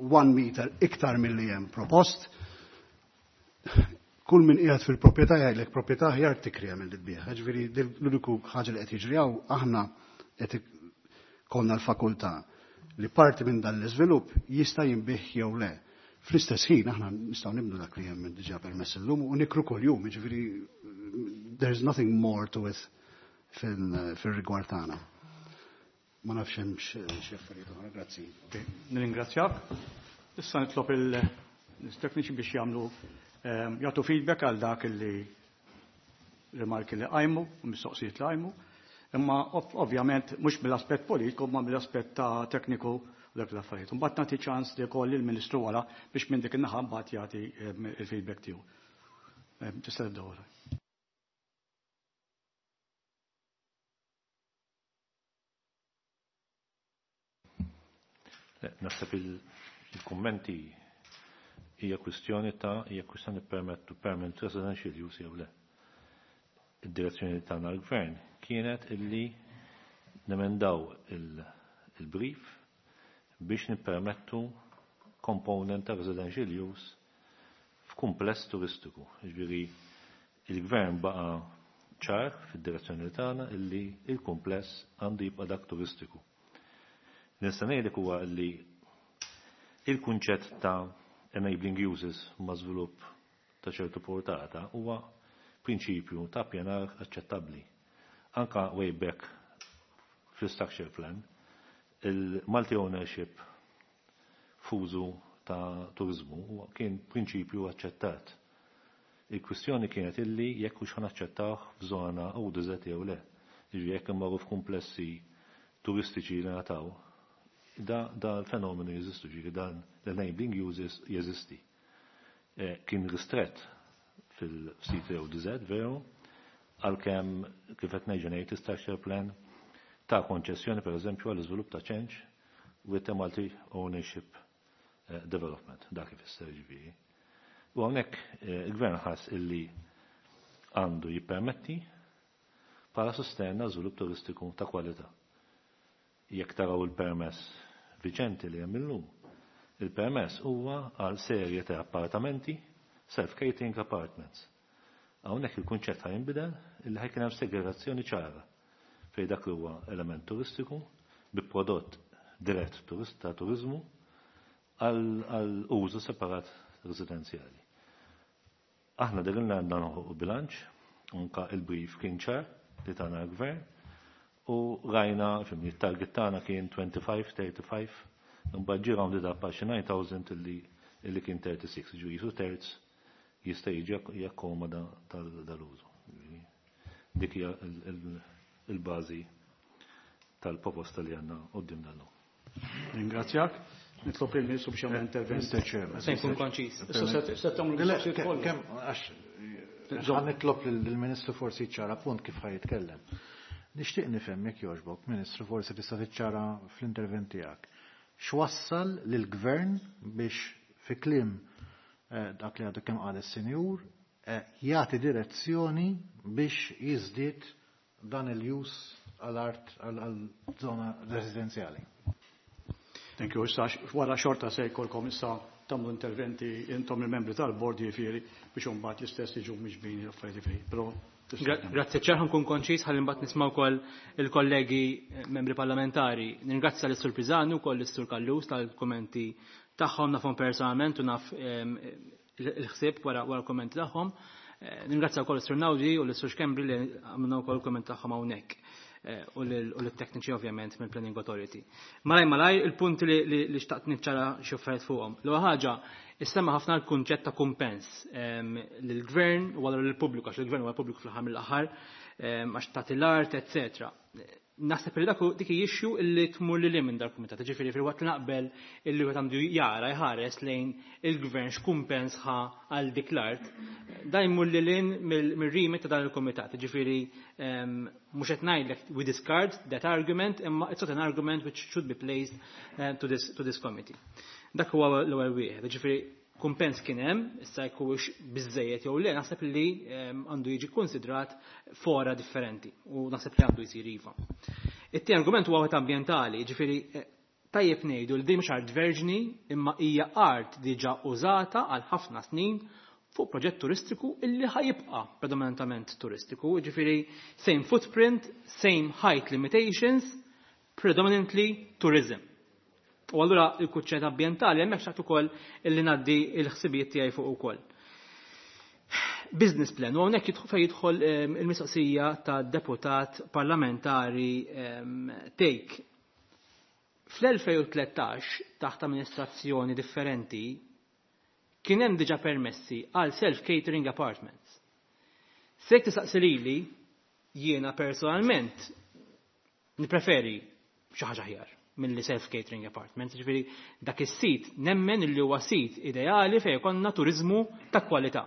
1 meter iktar milli hemm propost. Kull min qiegħed fil-proprjetà jgħidlek proprjetà aħjar tikrija milli tbigħ. Ġifieri l-uniku ħaġa li qed jiġri hawn, aħna qed konna l-fakultà li parti minn dan l-iżvilupp jista' jinbigħ jew le. Fl-istess ħin aħna nistgħu nibnu dak li hemm diġà permess illum u nikru kuljum, jiġifieri there's nothing more to it fil-rigward tagħna. Ma nafx hemm xi affarijiet oħra, grazzi. Nirringrazzjak. Issa nitlob il-tekniċi biex jagħtu feedback għal dak li rimarki li qajmu u mistoqsijiet li qajmu. Imma ovvjament mhux mill-aspett politiku, ma mill-aspett ta' tekniku u dak l-affarijiet. Mbagħad nagħti ċans li jkoll il-Ministru wara biex minn dik in-naħa mbagħad jagħti il-feedback tiegħu. Tista' tibda wara. Naħseb il-kummenti hija kwistjoni ta' hija kwistjoni permettu permanent residential use jew le. Id-direzzjoni tagħna l-gvern kienet illi nemendaw il-brief biex nippermettu component ta' residential use f'kumpless turistiku. Ġifieri il-gvern baqa' ċar fid-direzzjoni tagħna illi il-kumpless għandu jibqa' dak turistiku. Nista' ngħidlek huwa li il-kunċett ta' enabling uses ma' żvilupp ta' ċertu portata huwa prinċipju ta' pjanar aċċettabbli. Anka way back fil-structure plan, il-multi ownership f'użu ta' turizmu kien prinċipju aċċettat. Il-kwistjoni kienet illi jekk hux ħanaċċettawh f'żona ODZ jew le. Jiġifieri jekk imorru f'kumplessi turistiċi li nataw, da l-fenomenu jeżistu, ġifieri dan l-enabling uses jeżisti. Kien ristret fil-sit ODZ, veru, għalkemm kif qed ngħid ngħid structure plan ta' konċessjoni per eżempju għall iżvilupp ta' change with a multi ownership development, dak ifisser ġifieri. U hawnhekk il-gvern ħass illi għandu jippermetti bħala sostenna żvilupp turistiku ta' kwalità. Jekk taraw il-permess viġenti li hemm illum, il-permess huwa għal serje ta' appartamenti, self-catering apartments. Hawnhekk il-kunċett ħa jinbidel illi ħa jkun hemm segregazzjoni ċara fejn dak li huwa element turistiku bi prodott dirett ta' turizmu għal użu separat residenzjali. Aħna dirilna għandna noħolqu bilanċ, anka il-brief kien ċar li tana l-gvern, u rajna, fimni, il-target tagħna kien 25, 35, imbagħad ġie rounded up għal xi 9,000 illi kien 36, ġu jisu terz jista' jiġi jakkomoda dal-użu. Dik hija il-bażi tal-proposta li għandna quddiem dal-lum. Ringrazzjak. Nitlob il-Ministru biex jagħmel intervent. Mr. Chairman. Se nkun konċis. Issa se tagħmlu mistoqsijiet kollha. Kemm għax ħa nitlob lill-Ministru forsi ċara punt kif ħa jitkellem. Nixtieq nifhem jekk jogħġbok, Ministru, forsi tista' tiċċara fl-intervent tiegħek. X'wassal lill-Gvern biex fi kliem dak li għadu kemm qal is-Sinjur jagħti direzzjoni biex jiżdied dan il-jus għal-art għal-żona residenzjali. Thank you. Issa wara xorta se jkollkom issa tagħmlu interventi intom il-membri tal-bord jiġifieri biex imbagħad l-istess jiġu miġbin l-affarijiet jiġifieri. Però Grazzi ċer, nkun konċis ħalli mbagħad nisma' wkoll il-kollegi membri parlamentari. Ningrazzja lis-Sur Pisani wkoll lis-Sur Callus tal-kummenti tagħhom nafhom personalment u naf il-ħsieb wara l-kummenti tagħhom. Ningrazzja wkoll is-Sur Naudi u lis-Sur Schembri li għamilna wkoll il-kummenti tagħhom hawnhekk. U l-tekniċi ovvjament mill-Planning Authority. Malaj malaj il-punti li xtaqt niċċara xi affarijiet fuqhom. L-ewwel ħaġa, issemma ħafna l-kunċett ta' kumpens lill-gvern u allura lill-pubbliku, għax il-gvern huwa l-pubbliku fl-aħħar mill-aħħar, għax tagħti l-art, eċċetera. Naħseb li dak dik issue illi tmur lil minn dal-kumitat, ġifieri fil-waqt li naqbel illi wieħed għandu jara jħares lejn il-gvern x'kumpens ħa għal dik l-art, dan jmur lil hinn mir-remit ta' dan il-kumitat, ġifieri mhux qed ngħidlek we discard that argument, imma it's not an argument which should be placed to this committee. Dak huwa l-ewwel wieħed, ġifieri kumpens kien hemm, issa jekk huwiex biżejjed jew le, naħseb li għandu jiġi konsidrat fora differenti u naħseb li għandu jsir iva. It-tieni argument huwa wieħed ambjentali, ġifieri tajjeb ngħidu li din mhux art verġni imma hija art diġà użata għal ħafna snin fuq proġett turistiku illi ħajibqa' predominantament turistiku, ġifieri same footprint, same height limitations, predominantly tourism. U allura il-kuċċett ambjentali hemmhekk xtaqt ukoll illi ngħaddi l-ħsibijiet tiegħi fuq ukoll. Business plan, u hawnhekk fejn jidħol il-mistoqsija ta' deputat parlamentari Thake. Fl-2013 taħt amministrazzjoni differenti kien hemm diġà permessi għal self-catering apartments. Se jekk tistaqsi lili, jiena personalment nippreferi xi ħaġa aħjar milli self-catering apartments, ġifieri dak is-sit nemmen li huwa sit ideali fejn jkollna turizmu ta' kwalità.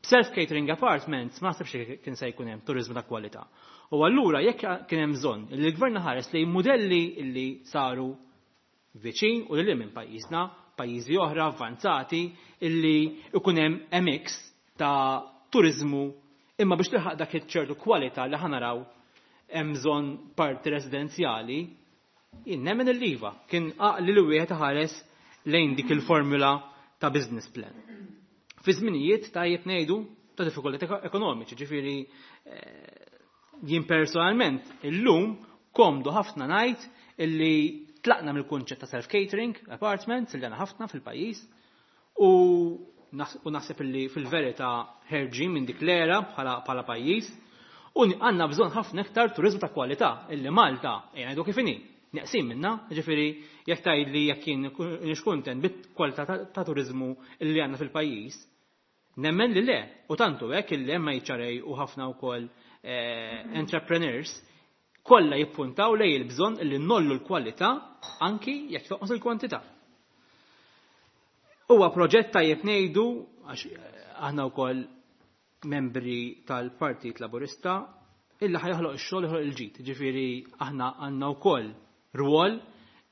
Self-catering apartments ma naħsibx li kien se jkun hemm turizmu ta' kwalità. U allura jekk kien hemm bżonn li l-gvern ħares lejn modelli li saru viċin u lil minn pajjiżna, pajjiżi oħra avvanzati illi ikun hemm mix ta' turizmu imma biex tilħaq dak iċ-ċertu kwalità li ħanaraw hemm bżonn parti residenzjali, jien nemmen il-liva kien għaqli li wieħed ħares lejn dik il-formula ta' business plan. Fi żminijiet tajjeb ngħidu ta' diffikultajiet ekonomiċi, ġifieri jien personalment illum komdu ħafna ngħid illi tlaqna mill-kunċett ta' self-catering apartments li għandna ħafna fil-pajjiż u naħseb illi fil-verità ħerġin minn dik l-era bħala pajjiż u għandna bżonn ħafna iktar turizmu ta' kwalità illi Malta ejja ngħidu kif inhi. Neqsin minna, ġifieri jekk tgħidli jekk jien nix kuntent bit-kwalità ta' turizmu illi għandna fil-pajjiż, nemmen li le, u tantu hekk illi hemm HRA u ħafna wkoll entrepreneurs kollha jippuntaw lej il-bżonn illi nollu l-kwalità anki jekk toqgħod il-kwantità. Huwa proġett tajjeb ngħidu għax aħna wkoll membri tal-Partit Laburista illi ħajoħloq ix-xogħol joħloq il-ġid. Ġifieri aħna għandna wkoll rwol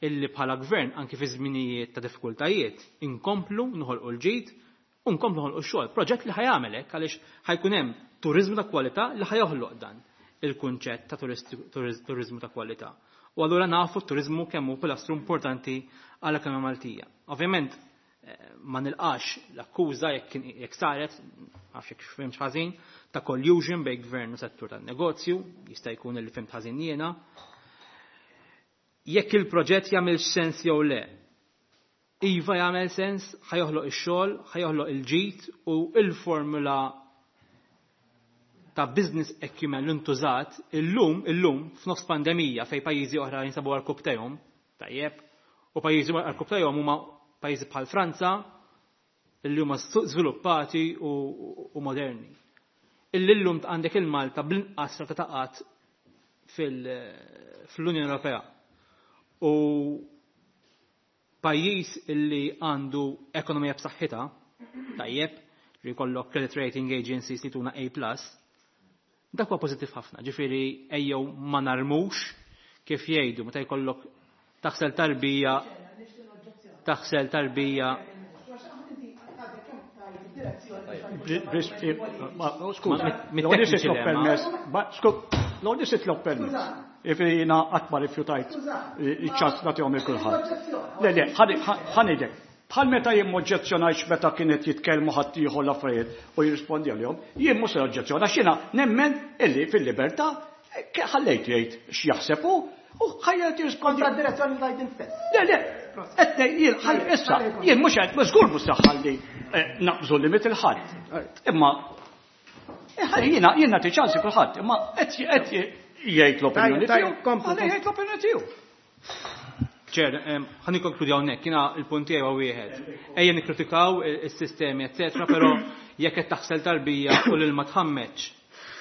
illi bħala gvern anki fi żminijiet ta' diffikultajiet inkomplu noħolqu l-ġid u nkomplu noħolqu x-xogħol. Proġett li ħajamel hekk għaliex ħajkun hemm turizmu ta' kwalità li ħajoħloq dan il-kunċett ta' turizmu ta' kwalità. U allura nafu t-turizmu kemm hu pilastru importanti għall ekonomija Maltija. Ovvjament ma nilqax l-akkuża jekk saret, għax jekk fimx ħażin, ta' collusion bejn gvern u settur tan-negozju, jista' jkun li fimt ħażin jiena. Jekk il-proġett jagħmel sens jew le. Iva jagħmel sens, ħa joħloq ix-xogħol, ħa joħloq il-ġid u il-formula ta' business acumen li ntużat illum f'nofs pandemija fej pajjiżi oħra jinsabu għarkopptejhom, tajjeb, u pajjiżi għarkopptejhom huma pajjiżi bħal Franza li huma żviluppati u moderni. Illum għandek il-Malta bl-inqas rata ta' qgħad fl-Unjoni Ewropea. U pajjiż illi għandu ekonomija b'saħħitha, tajjeb, li jkollok credit rating agencies li tuna A+, dak huwa pożittiv ħafna. Ġifieri ejjew ma narmux kif jgħidu meta jkollok taħsel tarbija taħsel tarbija. Skuża, l nitlob permess. Jiġifieri jiena qatt ma rifjutajt iċ-ċans nagħtihom lil kulħadd. Le, le, ħa ngħidlek. Bħal meta jien m'oġġezzjonajtx meta kienet jitkellmu ħaddieħor l-affarijiet u jirrispondi għalihom, jien mhux se oġġezzjona għax jiena nemmen illi fil-libertà ħallejt jgħid x'jaħseb hu u ħajja jirrispondi. Kontra d-direzzjoni li tajt int stess. Le, le, qed jien issa jien mhux qed żgur mhux se ħalli naqbżu limit il-ħadd. Imma jiena jien nagħti ċansi kulħadd, imma qed jgħid l-opinjoni tiegħu. Jgħid l-opinjoni tiegħu. Chair, ħa nikkonkludi hawnhekk, jiena il-punt tiegħi huwa wieħed. Ejja nikkritikaw is-sistemi, eċetera, però jekk qed taħsel tarbija u l-ilma tħammeġ,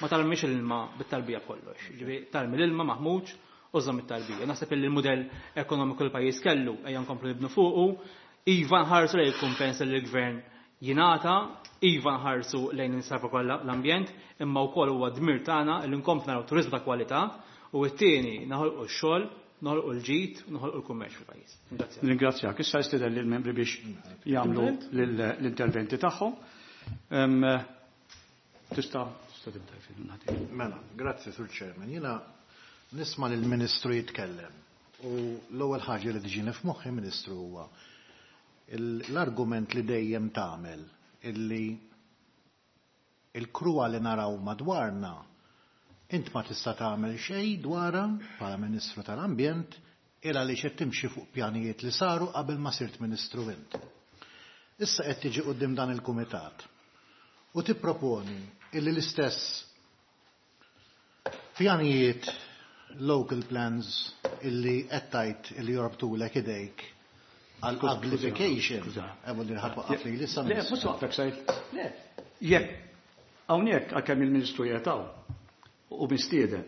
ma tarmix l-ilma bit-tarbija kollox. Ġifieri tarmi l-ilma maħmuġ u żomm it-tarbija. Naħseb li l-mudell ekonomiku l-pajjiż kellu ejja nkomplu nibnu fuqu, iva nħarsu lejn il-kumpens li l-gvern jingħata, iva nħarsu lejn insalva kollha l-ambjent, imma wkoll huwa dmir tagħna li nkomplu naraw turiżmu ta' kwalità u t-tieni naħolqu x-xogħol, noħolqu l-ġid, noħolqu l-kummerċ fil-pajjiż. Ringrazzjak. Ringrazzjak. Issa jistieden lill-membri biex jagħmlu l-interventi tagħhom. Tista' tibda jfid nagħti. Mela, grazzi Sur Chairman. Jiena nisma' lill-Ministru jitkellem u l-ewwel ħaġa li tiġini f'moħħi Ministru huwa l-argument li dejjem tagħmel illi il-kruha li naraw madwarna int ma tista' tagħmel xejn dwarha bħala Ministru tal-Ambjent il għaliex qed timxi fuq pjanijiet li saru qabel ma sirt Ministru int. Issa qed tiġi quddiem dan il-kumitat u tipproponi illi l-istess pjanijiet local plans illi qed tgħid illi jorbtulek idejk għal uglification. Ewa li ħadd waqqaf li issa. Le, mhux waqfek sajt. Le, jekk hawnhekk għalkemm il-Ministru qiegħed u mistieden,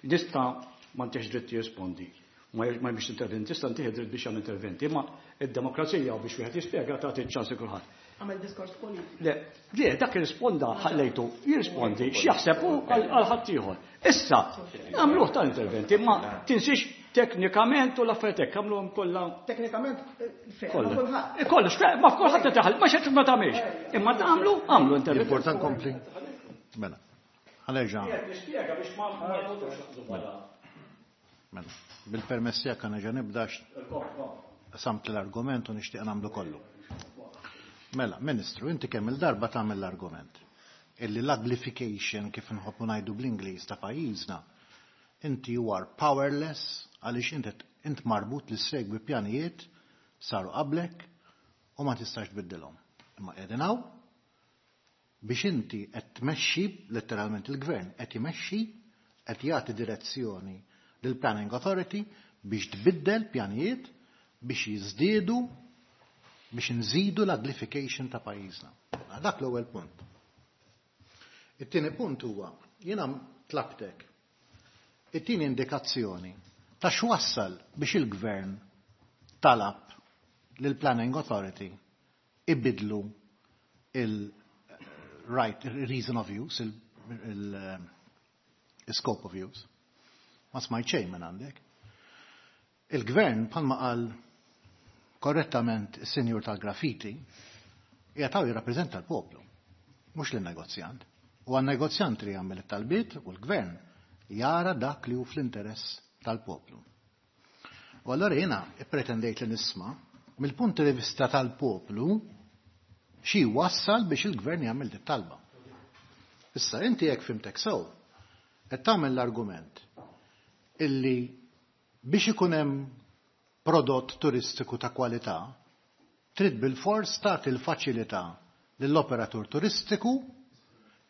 nista' ma ntiex dritt jirrispondi. Ma biex interventi, tista' ntih dritt biex jagħmel interventi, imma id-demokrazija u biex wieħed jispjega tagħti ċans kulħadd. Għamel diskors politiku. Le, le, dak irrisponda ħallejtu jirrispondi x'jaħseb hu għal ħaddieħor. Issa, għamluh tal-interventi, ma tinsiex teknikament u l-affarijiet hekk għamluhom kollha. Teknikament kollha. Kollox, ma f'kulħadd qed ma xed ma tagħmilx. Imma tagħmlu, għamlu interventi. Important kompli. Mela. Ħa nerġa'. Nispjega biex ma Mela, bil-permess tiegħek ħa nerġa' nibda samt l-argument u nixtieq nagħmlu kollu. Mela, Ministru, inti kemm il-darba tagħmel l-argument illi l-uglification kif nħobbu ngħidu bl-Ingliż ta' pajjiżna, inti you are powerless għaliex inti int marbut li segwi pjanijiet saru qablek u ma tistax tbiddilhom. Imma qegħdin hawn biex inti qed tmexxi letteralment il-gvern qed imexxi qed jagħti direzzjoni lill Planning Authority biex tbiddel pjanijiet biex jiżdiedu biex nżidu l-uglification ta' pajjiżna. Dak l-ewwel punt. It-tieni punt huwa jiena tlabtek it-tieni indikazzjoni ta' x'wassal biex il-gvern talab lill Planning Authority ibidlu il-right reason of use, il-scope of use. Ma smajt xejn minn għandek. Il-gvern bħalma qal korrettament is-senjur tal-graffiti jgħataw jirrappreżenta l-poplu, mhux lin-negozjant. U għan-negozjant li jagħmel it-talbiet u l-gvern jara dak li hu fl-interess tal-poplu. U allora jiena ippretendejt li nisma' mill-punt di vista tal-poplu xi wassal biex il-gvern jagħmel dit-talba. Issa inti jekk fhimtek sew, qed tagħmel l-argument illi biex ikun hemm prodott turistiku ta' kwalità, Trid bilfors tagħti l-faċilità lill-operatur turistiku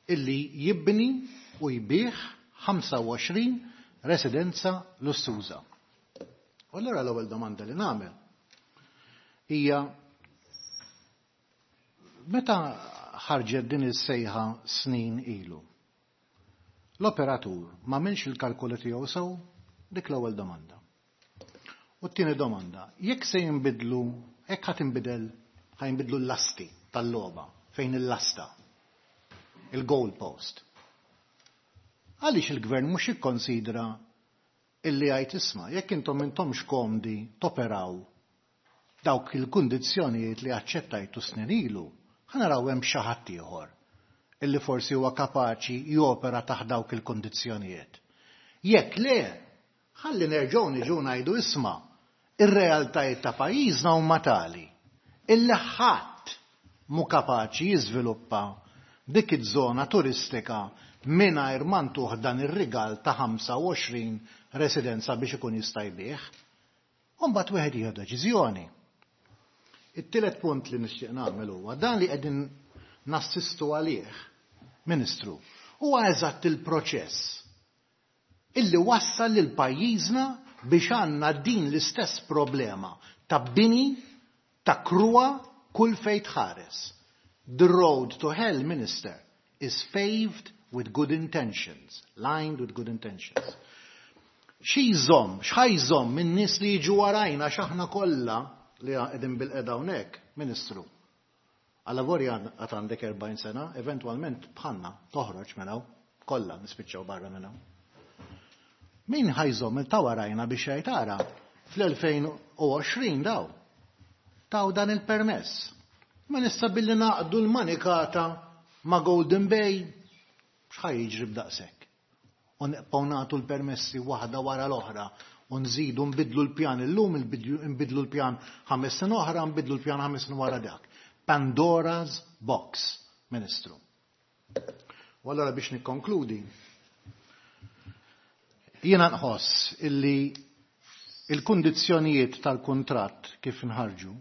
illi jibni u jbigħ 25 residenza lussuża. U allura l-ewwel domanda li nagħmel hija meta ħarġet din is-sejħa snin ilu, l-operatur m'għamilx il-kalkoli tiegħu sew? Dik l-ewwel domanda. U t-tieni domanda, jekk se jinbidlu, jekk ħa tinbidel, ħa jinbidlu l-lasti tal-logħba, fejn il-lasta, il-goal post. Għaliex il-gvern mhux jikkonsidra illi jgħid isma' jekk intom intomx komdi toperaw dawk il-kundizzjonijiet li aċċettajtu snin ilu, ħa naraw hemm xi ħadd ieħor illi forsi huwa kapaċi jopera taħt dawk il-kundizzjonijiet. Jekk le, ħalli nerġgħu niġu ngħidu isma' ir-realtajiet ta' pajjiżna huma tali illi ħadd mhu kapaċi jiżviluppa dik iż-żona turistika mingħajr ma ntuh dan ir-rigal ta' 25 residenza biex ikun jista' jbigħ. U mbagħad wieħed jieħu deċiżjoni. It-tielet punt li nixtieq nagħmel huwa dan li qegħdin nassistu għalih, Ministru, huwa eżatt il-proċess illi wassal lil pajjiżna biex għandna din l-istess problema ta' bini ta' kruha kull fejn tħares. The road to hell, Minister, is paved with good intentions, lined with good intentions. Xi jżomm, x'ħa jżomm min-nies li jiġu warajna x'aħna kollha li qegħdin bilqiegħda hawnhekk, Ministru. Għalavolja għad għandek 40 sena, eventwalment bħalna toħroġ minn hawn, kollha nispiċċaw barra minn hawn. Min ħa jżomm il ta' warajna biex jgħid ara fl-2020 daw taw dan il-permess. Ma nista billi naqdu l-manikata ma' Golden Bay, x'ħa jiġri b'daqshekk? U nibqgħu nagħtu l-permessi waħda wara l-oħra u nżidu nbidlu l-pjan illum, nbidlu l-pjan 5 snin oħra, nbidlu l-pjan 5 snin wara dak. Pandora's box, Ministru. U allora biex nikkonkludi, jiena nħoss illi il-kundizzjonijiet tal-kuntratt kif nħarġu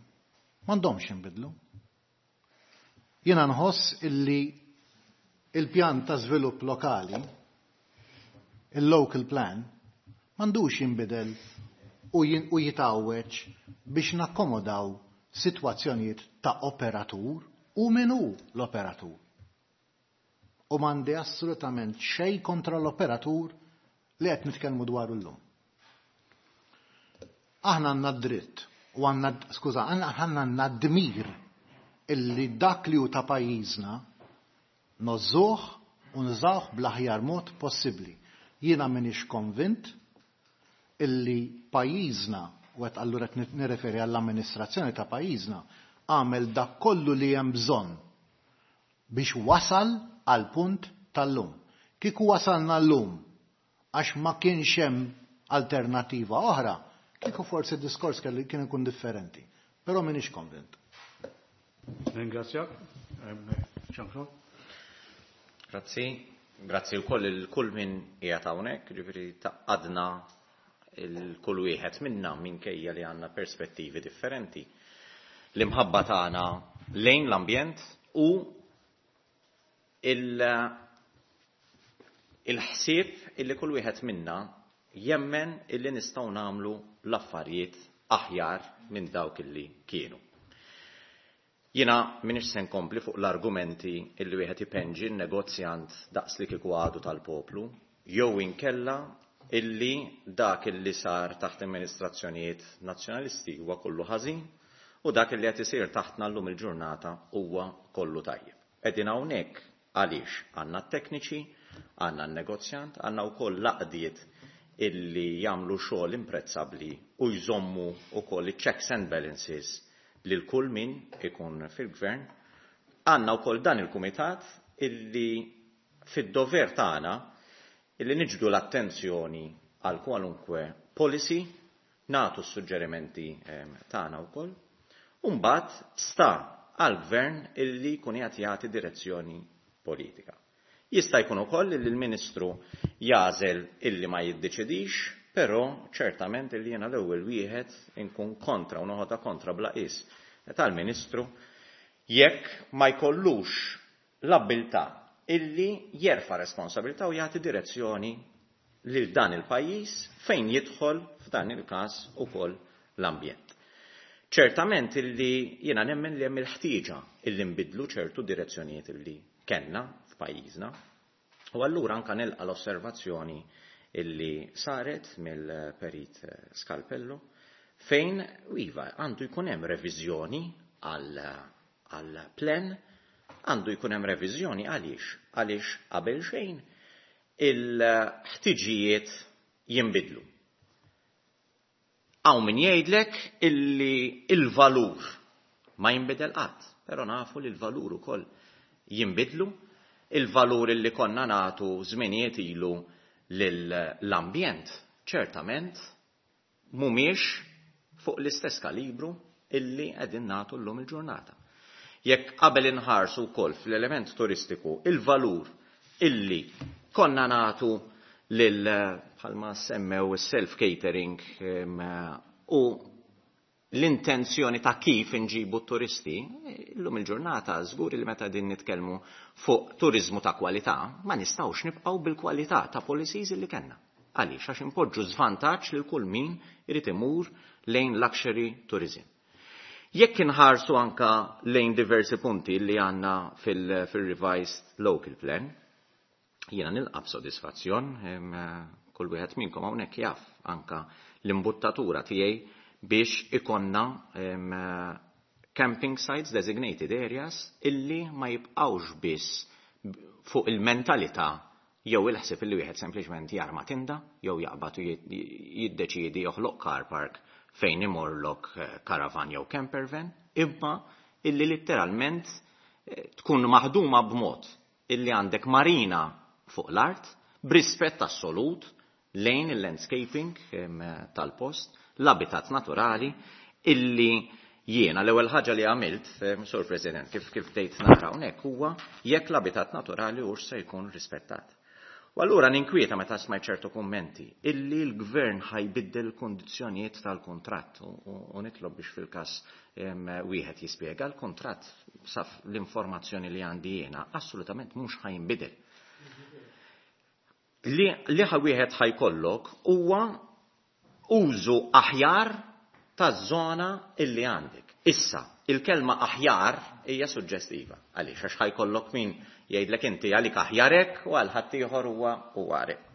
m'għandhomx jinbidlu. Jiena nħoss illi il-pjan ta' żvilupp lokali, il-local plan, m'għandux jinbidel u jitgħawweġ biex nakkomodaw sitwazzjonijiet ta' operatur u min hu l-operatur. U m'għandi assolutament xejn kontra l-operatur li qed nitkellmu dwaru llum. Aħna għandna dritt u għandna, skuża, aħna għandna dmir illi dak li hu ta' pajjiżna nożżuh u nużawh bl-aħjar mod possibbli. Jiena m'iniex konvint illi pajjiżna, u qed allura qed nirreferi għall-amministrazzjoni ta' pajjiżna, għamel dak kollu li hemm bżonn biex wasal għal punt tal-lum. Kieku wasalna llum għax ma kienx hemm alternativa oħra, kieku forsi d-diskors kien ikun differenti. Però m'iniex konvint. Ringrazzjak. Jean-Claude. Grazzi. Grazzi wkoll il kull min qiegħed hawnhekk, ġifieri tgħaqqadna il-kull wieħed minna minkejja li għandna perspettivi differenti. L-imħabba tagħna lejn l-ambjent u il-ħsieb illi kull wieħed minna jemmen illi nistgħu nagħmlu l-affarijiet aħjar minn dawk illi kienu. Jiena m'iniex se nkompli fuq l-argumenti illi wieħed ipenġi n-negozjant daqs li kieku għadu tal-poplu, jew inkella illi dak illi sar taħt amministrazzjonijiet nazzjonalisti huwa kollu ħażin u dak illi qed isir taħtna llum il-ġurnata huwa kollu tajjeb. Qegħdin hawnhekk għaliex għandna t-tekniċi, għandna n-negozjant, għandna wkoll l-għaqdiet illi jagħmlu xogħol imprezzabbli u jżommu wkoll iċ-checks and balances lil kull min ikun fil-gvern. Għandna wkoll dan il-kumitat illi fid-dover tagħna illi niġbdu l-attenzjoni għal kwalunkwe policy, nagħtu s-suġġerimenti tagħna wkoll, u mbagħad sta għall-gvern illi jkun qiegħed jagħti direzzjoni politika. Jista' jkun ukoll li l-Ministru jagħżel illi ma jiddeċidix, però ċertament illi jiena l-ewwel wieħed inkun kontra u noħodha kontra bla qies tal-Ministru jekk ma jkollux l-abbiltà illi jerfa' responsabilità u jagħti direzzjoni lil dan il-pajjiż fejn jidħol f'dan il-każ ukoll l-ambjent. Ċertament illi jiena nemmen li hemm il-ħtieġa illi nbiddlu ċertu direzzjonijiet illi kellna f'pajjiżna. U allura anka nilqa' l-osservazzjoni illi saret mill-Perit Scalpello fejn iva għandu jkun hemm reviżjoni għal plan, għandu jkun hemm reviżjoni għaliex? Għaliex qabel xejn il-ħtiġijiet jinbidlu. Hawn min jgħidlek illi il-valur ma jinbidel qatt, però nafu li l-valur ukoll jinbidlu, il-valur illi konna nagħtu żminijiet ilu lill-ambjent ċertament mhumiex fuq l-istess kalibru illi qegħdin nagħtu llum il-ġurnata. Jekk qabel inħarsu wkoll fl-element turistiku il-valur illi konna nagħtu lil bħalma semmew is-self-catering u l-intenzjoni ta' kif inġibu t-turisti, illum il-ġurnata żgur li meta din nitkellmu fuq turiżmu ta' kwalità, ma nistgħux nibqgħu bil-kwalità ta' policies li kellna. Għaliex? Għax impoġġu żvantaġġ lil kull min irid imur lejn luxury tourism. Jekk inħarsu anka lejn diversi punti li għandna fil-revised local plan, jiena nilqa' b'sodisfazzjon, kull wieħed minnkom hawnhekk jaf anka l-imbuttatura tiegħi biex ikonna camping sites, designated areas, illi ma jibqgħux biss fuq il-mentalità jew il-ħsieb illi wieħed sempliċement jarma tinda jew jaqbad u jiddeċiedi joħloq car park fejn imorlok caravan jew camper van, imma illi litteralment tkun maħduma b'mod illi għandek marina fuq l-art b'rispett assolut lejn il-landscaping tal-post, l-abitat naturali, illi jiena l-ewwel ħaġa li għamilt, Sur President, kif bdejt nara hawnhekk huwa jekk l-abitat naturali hux se jkun rispettat. U allura ninkwieta meta smajt ċertu kummenti illi l-gvern ħajbiddel il-kundizzjonijiet tal-kuntratt u nitlob biex fil-każ wieħed jispjega l-kuntratt saf l-informazzjoni li għandi jiena assolutament mhux ħajnbidel. Li wieħed ħajkollok huwa użu aħjar taż-żona illi għandek. Issa, il-kelma aħjar hija suġġestiva. Għaliex? Għax ħajkollok min jgħidlek inti għalik aħjar hekk u għal ħaddieħor huwa hekk.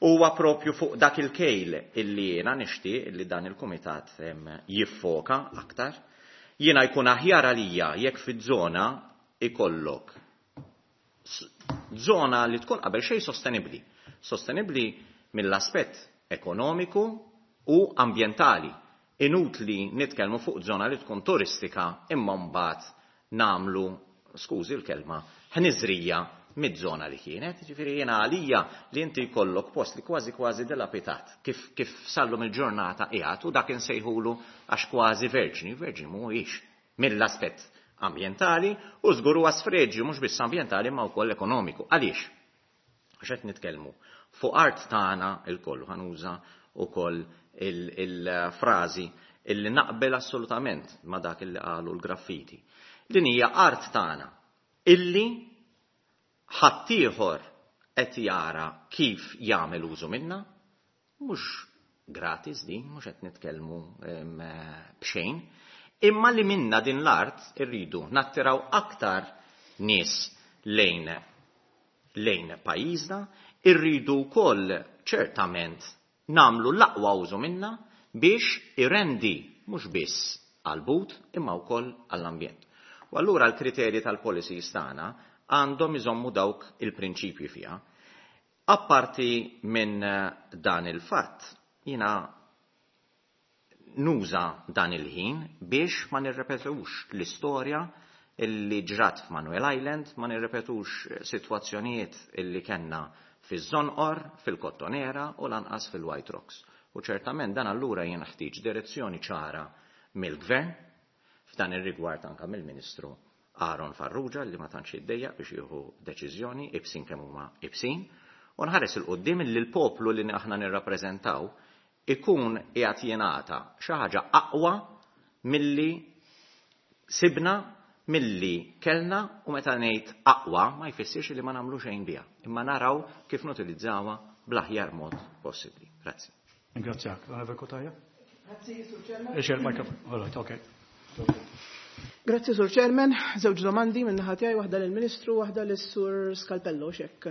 Huwa propju fuq dak il-kejl illi jiena nixtieq illi dan il-kumitat jiffoka aktar. Jiena jkun aħjar għalija jekk fiż-żona ikollok żona li tkun qabel xejn sostenibbli. Sostenibbli mill-aspett ekonomiku u ambjentali. Inutli nitkellmu fuq żona li tkun turistika imma mbagħad nagħmlu, skużi l-kelma, ħniżrija mid-żona li kienet. Ġifieri jiena għalija li inti jkollok post li kważi kważi dilapitat kif sallum il-ġurnata qiegħed u dak insejħulu għax kważi verġni, verġni mhuwiex mill-aspett ambjentali u żgur huwa sfreġju mhux biss ambjentali imma wkoll ekonomiku. Għaliex? Għax qed nitkellmu fuq art tagħna lkoll, ħanuża wkoll il-frażi illi naqbel assolutament ma' dak illi qalu l-graffiti. Din hija art tagħna illi ħaddieħor qed jara kif jagħmel użu minnha, mhux gratis din, mhux qed nitkellmu b'xejn, imma li minna din l-art irridu nattiraw aktar nies lejn pajjiżna, irridu wkoll ċertament nagħmlu l-aqwa użu minna biex irendi mhux biss għall-but imma wkoll għall-ambjent. U allura l-kriterji tal-policies tagħna għandhom iżommu dawk il-prinċipji fiha. Apparti minn dan il-fatt, jiena nuża dan il-ħin biex ma nirrepetux l-istorja illi ġrat f'Manuel Island, ma nirrepetux sitwazzjonijiet illi kellna fiż-Żonqor, fil-Kottonera u lanqas fil-White Rocks. U ċertament dan allura jenħtieġ direzzjoni ċara mill-Gvern, f'dan ir-rigward anka mill-Ministru Aaron Farrugia li ma tantx jiddejjaq biex jieħu deċiżjoni ibsin kemm huma ibsin, u nħares il quddiem li l-poplu li aħna nirrappreżentaw ikun qiegħed jingħata xi ħaġa aqwa milli sibna milli kellna u meta ngħid aqwa ma jfissirx li ma nagħmlu xejn biha, imma naraw kif nutilizzawha bl-aħjar mod possibbli. Grazzi. Ringrazzjak. L-Onorevole Cutajar? Grazzi, Sur Chairman. Ix il-mikrofon. All right, okay. Grazzi, Sur Chairman. Żewġ domandi minn naħa tiegħi, waħda lill-Ministru, waħda lis-Sur Scalpello x'hekk.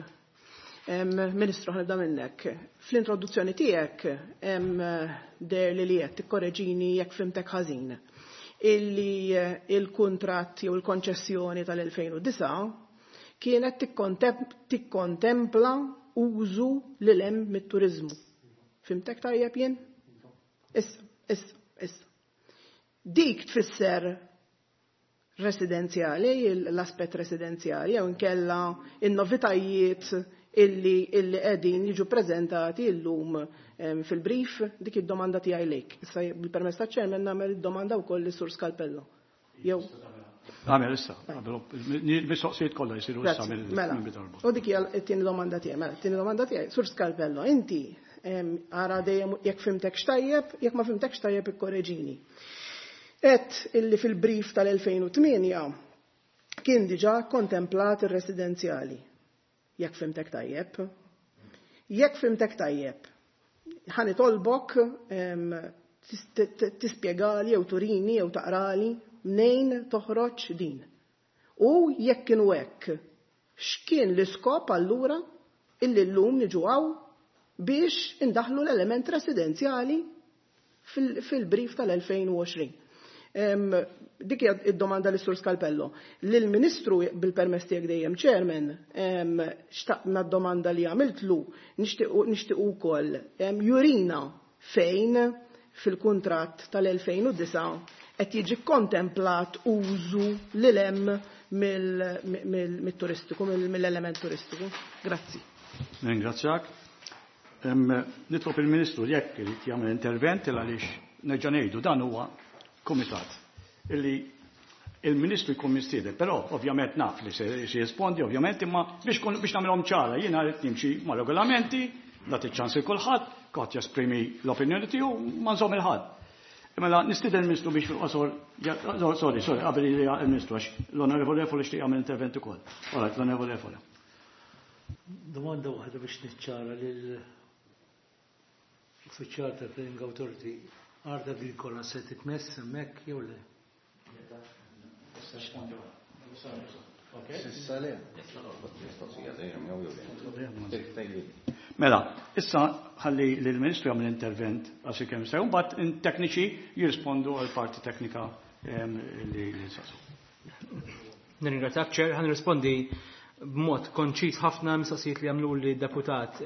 Ministru, ħa nibda minnek. Fl-introduzzjoni tiegħek deher li li qed tikkoreġini jekk fhimtek ħażin. Illi il-kuntratt jew il-konċessjoni tal-2009 kienet tikkontempla użu lil hemm mit-turiżmu. Fhimtek tajjeb jien? Issa, issa, issa. Dik tfisser residenzjali, l-aspett residenzjali, jew inkella in-novitajiet illi illi qegħdin jiġu preżentati llum fil-brief, dik id-domanda tiegħi lejk. Issa bil-permess taċ-chairman nagħmel id-domanda wkoll lis-Sur Scalpello. Jew Għamel issa, il-mistoqsijiet kollha jsiru issa Mela, mill-darba. u dik hija t-tieni domanda tiegħi. Mela, t-tieni domanda tiegħi, Sur Scalpello, inti ara dejjem jekk fhimtek x'tajjeb, jekk ma fhimtekx tajjeb ikkoreġini. Et illi fil-brief tal-2008 kien diġà kontemplat ir-residenzjali. Jekk fhimtek tajjeb. Jekk fhimtek tajjeb, ħa nitolbok tispjegali jew turini jew taqrali mnejn toħroġ din. U jekk kienu hekk, x'kien l-iskop allura illi llum niġu hawn biex indaħlu l-element residenzjali fil-brief tal-2020. Dik hija id-domanda lis Sur Scalpello. Lill-Ministru bil-permess tiegħek dejjem Chairman, xtaqna d-domanda li għamiltlu nixtiequ wkoll jurina fejn fil-kuntratt tal-2009 qed jiġi kontemplat użu lil hemm mill-turistiku, mill-element turistiku. Grazzi. Ringrazzjak. Nitlob il-Ministru jekk irid jagħmel intervent għaliex nerġa' ngħidu dan huwa kumitat illi il-Ministru jkun mistieden, però ovvjament naf li se jirrispondi, ovvjament, imma biex nagħmilhom ċara, jiena rrid nimxi ma' regolamenti, nagħti ċans lil kulħadd, kulħadd jesprimi l-opinjoni tiegħu, ma nżomm il-ħadd. Mela nistieden il-Ministru biex fil-qosor, sorry, sorry, qabel il-Ministru għax l-Onorevoli Refalo jixtieq jagħmel intervent ukoll. All right, l-Onorevoli Refalo. Domanda waħda biex niċċara lil uffiċjal tal-Planning Authority, art agrikola se titmess hemmhekk jew le? S'issa le. Mela, issa ħalli lill-Ministru jagħmel intervent għal kemm se, mbagħad tekniċi jirrispondu għal parti teknika li nsaqsu. Nirringrazzjak, Chair, ħa nirrispondi b'mod konċis ħafna mistoqsijiet li għamlu li deputat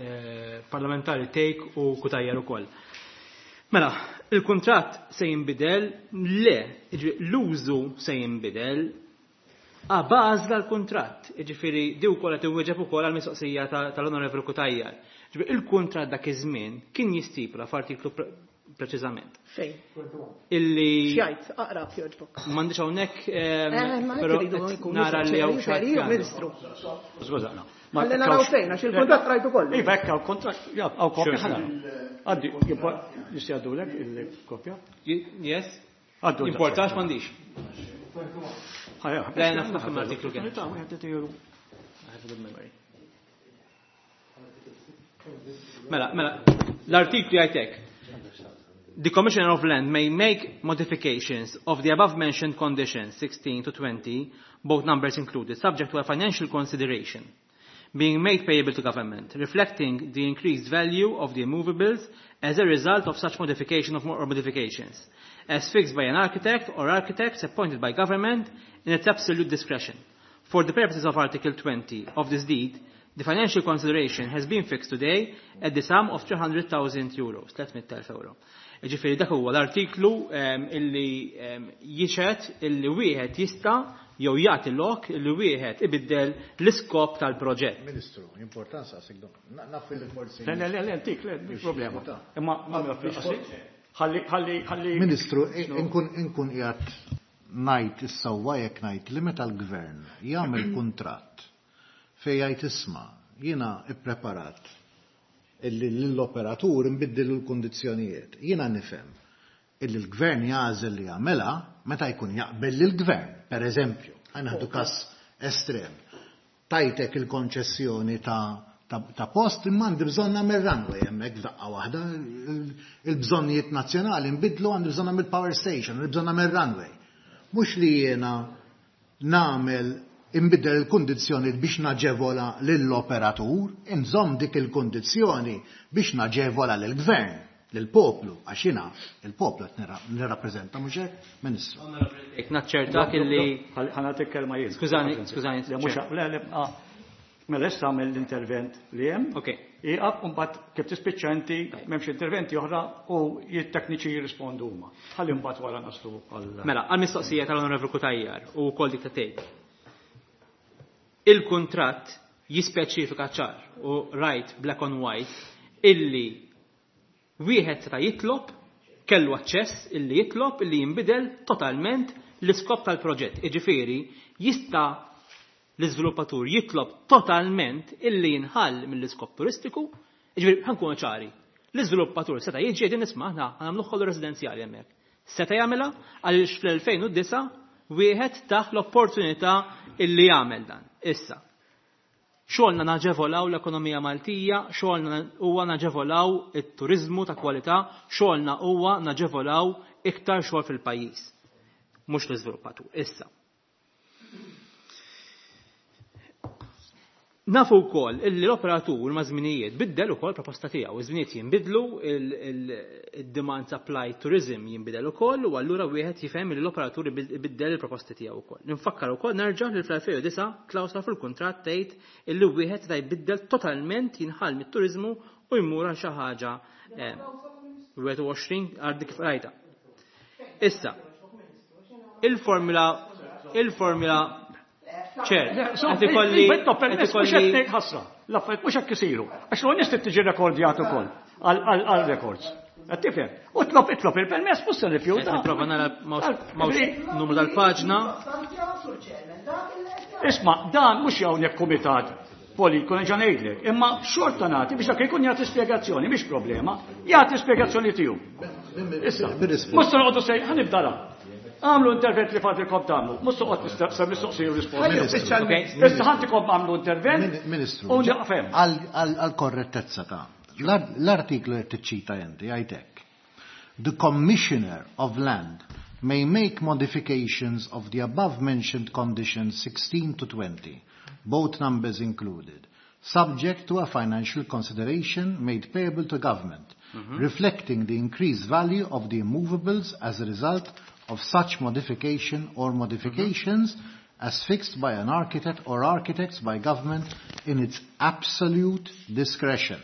parlamentari Thake u Cutajar ukoll. Mela, il-kuntratt se jinbidel, le, jiġifieri l-użu se jinbidel a baż dal-kuntratt, jiġifieri di wkoll qed iwieġeb ukoll għall-mistoqsija tal-Onorevoli Cutajar. Jiġifieri il-kuntratt dak iż-żmien kien jistipula f'artiklu preċiżament. Fejn? Illi X'jgħid, aqra f'joġbok. M'għandix hawnhekk, Ma però jekk iridu qed nkunu nara li hawn sinċeri, xi ħadd Ministru. Skużana. Ma Ħalli naraw fejn, għax il-kuntratt rajtu kollu. Iva, hekk hawn kuntratt, ja, hawn kopja Sure. ħana. Għaddi, jista' jgħaddulek il-kopja? Yes. Għaddu Importax m'għandix. Ħajja. Le, naf naf l-artiklu kien. I have a good memory. Mela, mela, l-artiklu jgħid hekk. The Commissioner of Land may make modifications of the above-mentioned conditions, 16 to 20, both numbers included, subject to a financial consideration being made payable to government, reflecting the increased value of the immovables as a result of such modification of or modifications, as fixed by an architect or architects appointed by government in its absolute discretion. For the purposes of Article 20 of this deed, the financial consideration has been fixed today at the sum of 300,000 euros, 300,000 euro. Ġifieri dak huwa l-artiklu illi jixhed illi wieħed jista' jew jagħti lok illi wieħed ibiddel l-iskop tal-proġett. Ministru, importanza għasik dom. Naf li forsi. Le, le, le, le, antik, le, mhix problema. Imma ma fil-qasir. Ħalli, ħalli, ħalli. Ministru, inkun qiegħed ngħid is-sewwa jekk ngħid li meta l-gvern jagħmel kuntratt fejn jgħid isma' jiena ippreparat illi l-operatur nbiddilu l-kundizzjonijiet. Jiena nifhem illi l-gvern jagħżel li jagħmilha meta jkun jaqbel lill-gvern, per eżempju, ħa nieħdu każ estrem, tajtek il-konċessjoni ta' ta' post imma għandi bżonn nagħmel runway hemmhekk f'daqqa waħda, il-bżonnijiet nazzjonali nbidlu għandi bżonn nagħmel power station, għandi bżonn nagħmel runway. Mhux li jiena nagħmel inbiddel il-kundizzjoni biex naġevola lill-operatur, inżomm dik il-kundizzjoni biex naġevola lill-gvern, lill-poplu, għax jiena il-poplu qed nirrappreżenta mhux hekk, Ministru. Naċċertak illi. Ħa nagħtik kelma jien. Skużani, skużani. Le, mhux le, le, ah. Mela issa għamel l-intervent li hemm. Ok. Ieqaf u mbagħad kif tispiċċa inti m'hemmx interventi oħra u t-tekniċi jirrispondu huma. Ħalli mbagħad wara naslu għal. Mela, għall-mistoqsija tal-Onorevoli Cutajar u wkoll dik ta' Tejk. Il-kuntratt jispeċifika ċar u rajt black on white illi Wieħed seta' jitlob, kellu aċċess illi jitlob illi jinbidel totalment l-iskop tal-proġett. Jiġifieri, jista' l-iżviluppatur jitlob totalment illi jinħall mill-iskop turistiku, jiġifieri ħa nkunu ċari, l-iżviluppatur seta' jiġi jgħidilna isma' aħna ħa nagħmluh kollu residenzjali hemmhekk. Seta' jagħmilha għaliex fl-2009 wieħed tah l-opportunità illi jagħmel dan. Issa, Xogħolna naġevolaw l-ekonomija Maltija, xogħolna huwa naġevolaw it-turiżmu ta' kwalità, xogħolna huwa naġevolaw iktar xogħol fil-pajjiż. Mhux l-iżviluppatur. Issa. Nafu wkoll illi l-operatur ma' żminijiet biddel ukoll proposta tiegħu. Iż-żminijiet jinbidlu, il-demand supply tourism jinbidel ukoll u allura wieħed jifhem li l-operatur ibiddel il-proposti tiegħu wkoll. Infakkar ukoll nerġa' li fl-2009 klawsola fil-kuntratt tgħid illi wieħed seta' jbiddel totalment jinħall mit-turiżmu u jmur għal xi ħaġa 21 għal dik rajta. Issa, il-formula il-formula ċer, qed ikolli qed ikolli ħasra. L-affarijiet mhux hekk isiru. Għax l-ewwel trid tiġi rekordjat ukoll għal records. Qed tifhem? U tlob itlob il-permess mhux se nirrifjuta. Nipprova nara m'hawnx numru tal-paġna. Isma' dan mhux hawnhekk kumitat politiku nerġa' ngħidlek, imma xorta nagħti biex dak ikun jagħti spjegazzjoni, mhix problema, jagħti spjegazzjoni tiegħu. Issa, mhux se noqogħdu sej, ħanibda Għamlu intervent li fadilkom tagħmlu, mhux toqgħod tistaqsa mistoqsija u risposta. Issa ħantikom għamlu intervent. Ministru, għal korrettezza ta' l-artiklu qed tiċċita inti jgħid hekk. The Commissioner of Land may make modifications of the above mentioned conditions 16 to 20, both numbers included, subject to a financial consideration made payable to government, mm -hmm. reflecting the increased value of the immovables as a result of such modification or modifications mm -hmm. as fixed by an architect or architects by government in its absolute discretion.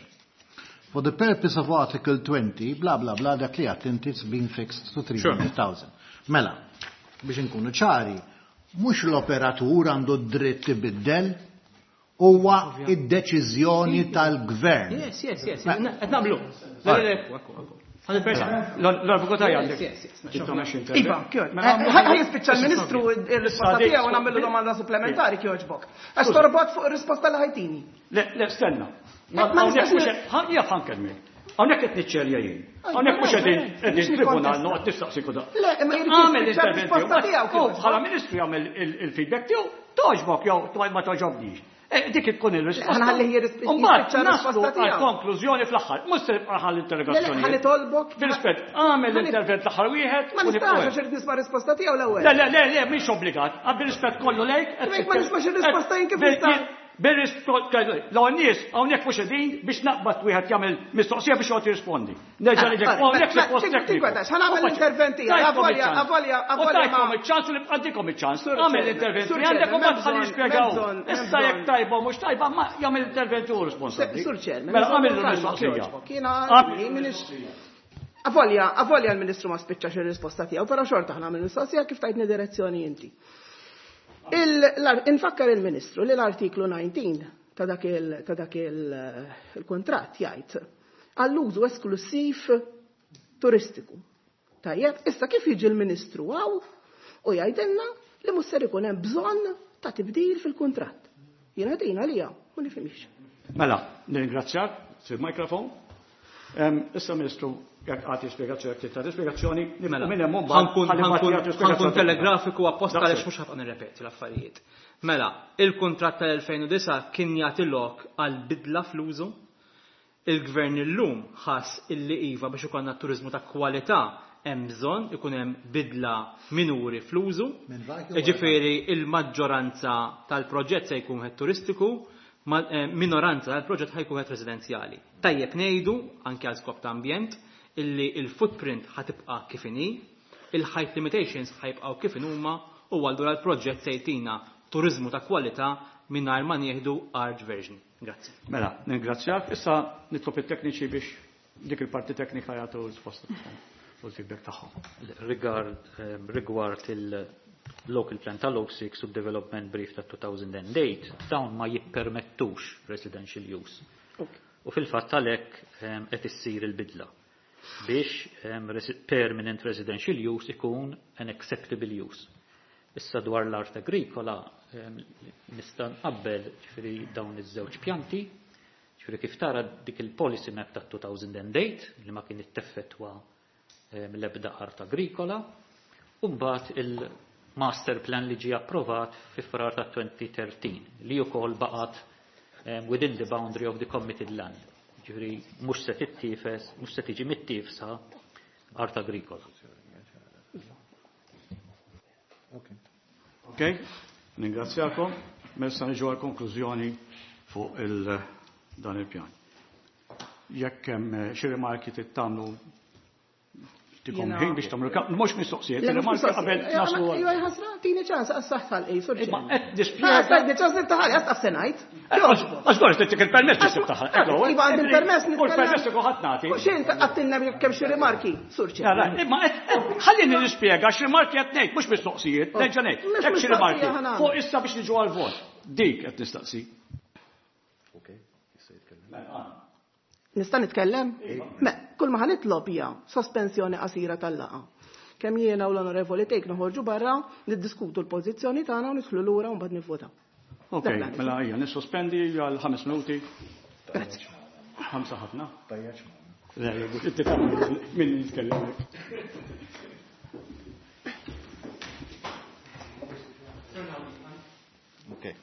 For the purpose of Article 20, bla bla bla, dak li għat inti it's been fixed to 300,000. Mela, biex nkunu ċari, mhux l-operatur għandu dritt ibiddel, huwa id-deċiżjoni tal-gvern. Yes, yes, yes. Qed nagħmlu. L-avukata għandek. Iva, ħa jispiċċa l-Ministru ir-risposta tiegħu u nagħmlu domanda supplementari kjoġbok. Għax torbot fuq ir-risposta li ħajtini. Le, le, stenna. Ma nistax ħankellmek. Hawnhekk qed niċċerja jien. Hawnhekk mhux qegħdin qegħdin tribunal noqgħod nistaqsi kuda. Le, imma jrid jispiċċa r-risposta tiegħu. Bħala ministru jagħmel il-feedback tiegħu, togħġbok jew ma togħġobnix. Eh, dik tkun il-risposta. Ħalli jispiċċa r-risposta tiegħu. Konklużjoni fl-aħħar, mhux se nibqa' ħalli interrogazzjoni. Ħalli tolbok. Bil-rispett, għamel l-intervent l-aħħar wieħed. Ma nistax għax irid nisma' risposta tiegħu l-ewwel. Le, le, le, le, mhix obbligat. Bil-rispett kollu lejk. Ma nismax ir-risposta jien kif nista' L-għon nies, hawnhekk mhux qegħdin biex naqbad wieħed jagħmel mistoqsija biex joqgħod jirrispondi. Nerġa' ngħidlek, hawnhekk suppost tekniku. Ħa nagħmel l-intervent tiegħi, avolja, avolja, avolja. Tajtkom iċ-ċans u nibqa' ntikom iċ-ċans. Agħmel l-intervent li għandek u mbagħad ħalli jispjegaw. Issa jekk tajba mhux tajba, ma jagħmel l-intervent hu responsabbli. Sur Chairman. Mela għamel l-mistoqsija. Avolja, avolja l-Ministru ma spiċċax ir-risposta tiegħu, però xorta ħa nagħmel mistoqsija kif tajtni direzzjoni inti. Infakkar il-Ministru li l-artiklu 19 ta' dak il-kuntratt jgħid għall-użu esklusiv turistiku. Tajjeb, issa kif jiġi l-Ministru hawn u jgħidilna li mhux ser ikun hemm bżonn ta' tibdil fil-kuntratt. Jiena din għalija ma nifhimx. Mela, nirringrazzjak, sir mikrofon. Issa Ministru. Jekk għati spjegazzjoni, jekk tagħti spjegazzjoni, Mela, minn hemm mbagħad ħalli mbagħad jagħtu ħankun spjegazzjoni. telegrafiku apposta Daqshekk. għaliex mhux ħafna nirrepeti l-affarijiet. Mela, il-kuntratt tal-2009 kien jagħti lok għal bidla fl-użu. Il-gvern illum ħass illi iva biex ikollna turiżmu ta' kwalità hemm bżonn ikun hemm bidla minuri fl-użu. Ġifieri il-maġġoranza tal-proġett se jkun wieħed turistiku, minoranza tal-proġett ħajkun wieħed residenzjali. Tajjeb ngħidu anke għal skop ta' ambjent illi il-footprint ħatibqa' kif inhi, il-height limitations ħajbqgħu kif inhuma u allura l-proġett se jtina turiżmu ta' kwalità mingħajr ma nieħdu art version. Grazzi. Mela, ningrazzjak. Issa nitlob it-tekniċi biex dik il-parti teknika jagħtu risposta tagħhom u l-feedback tagħhom. Rigward il-local plan tal-06 u development brief ta' 2008, dawn ma jippermettux residential use. U fil-fatt għalhekk qed issir il-bidla biex permanent residential use ikun an acceptable use. Issa dwar l-art agrikola nista' nqabbel ġifieri dawn iż-żewġ pjanti, ġifieri kif tara dik il-policy map ta' 2008 li ma kien itteffettwa l-ebda art agrikola, u mbagħad il-master plan li ġie approvat fi Frar ta' 2013 li wkoll baqgħet within the boundary of the committed land. Ġifieri mhux se tittifes, mhux se tiġi mittifsa art agrikola. Ok, ningrazzjakom. Messa niġu għal konklużjoni fuq dan il-pjan. Jekk hemm xi rimarki trid tagħmlu tikom ħin biex tagħmlu mhux mistoqsijiet, Le, mhux rimarki mistoqsijiet. qabel naslu għal- Iva, ħasra, tini ċans, għas saħħa l-qej, Imma sorġi. qed nispjega. Għas ċans niftaħ, għas taf se ngħid. Għax dwar tittik il-permess biex tiftaħ. Iva, għandi il-permess U l-permess ikun ħadd nagħti. U xejn għattilna jekk hemm xi rimarki, surġi. Imma ħallini nispjega x'rimarki qed ngħid, mhux mistoqsijiet, nerġa' ngħid. Mhux Hekk xi rimarki. mistoqsija ħa nagħmel. Fuq issa biex niġu għall-vot. Dik qed nistaqsi. Nista' nitkellem? Me, kull ma ħanitlob hija sospensjoni qasira tal-laqgħa. Kemm jiena u l-Onorevoli Tejk noħorġu barra, niddiskutu l-pożizzjoni tagħna u nidħlu lura u mbagħad nivvotaw. Ok, Dak l-għaliex. mela hija nissospendi għal 5 minuti. Grazzi. 5 ħafna. Le, inti tagħmel min jitkellem hekk. Ok.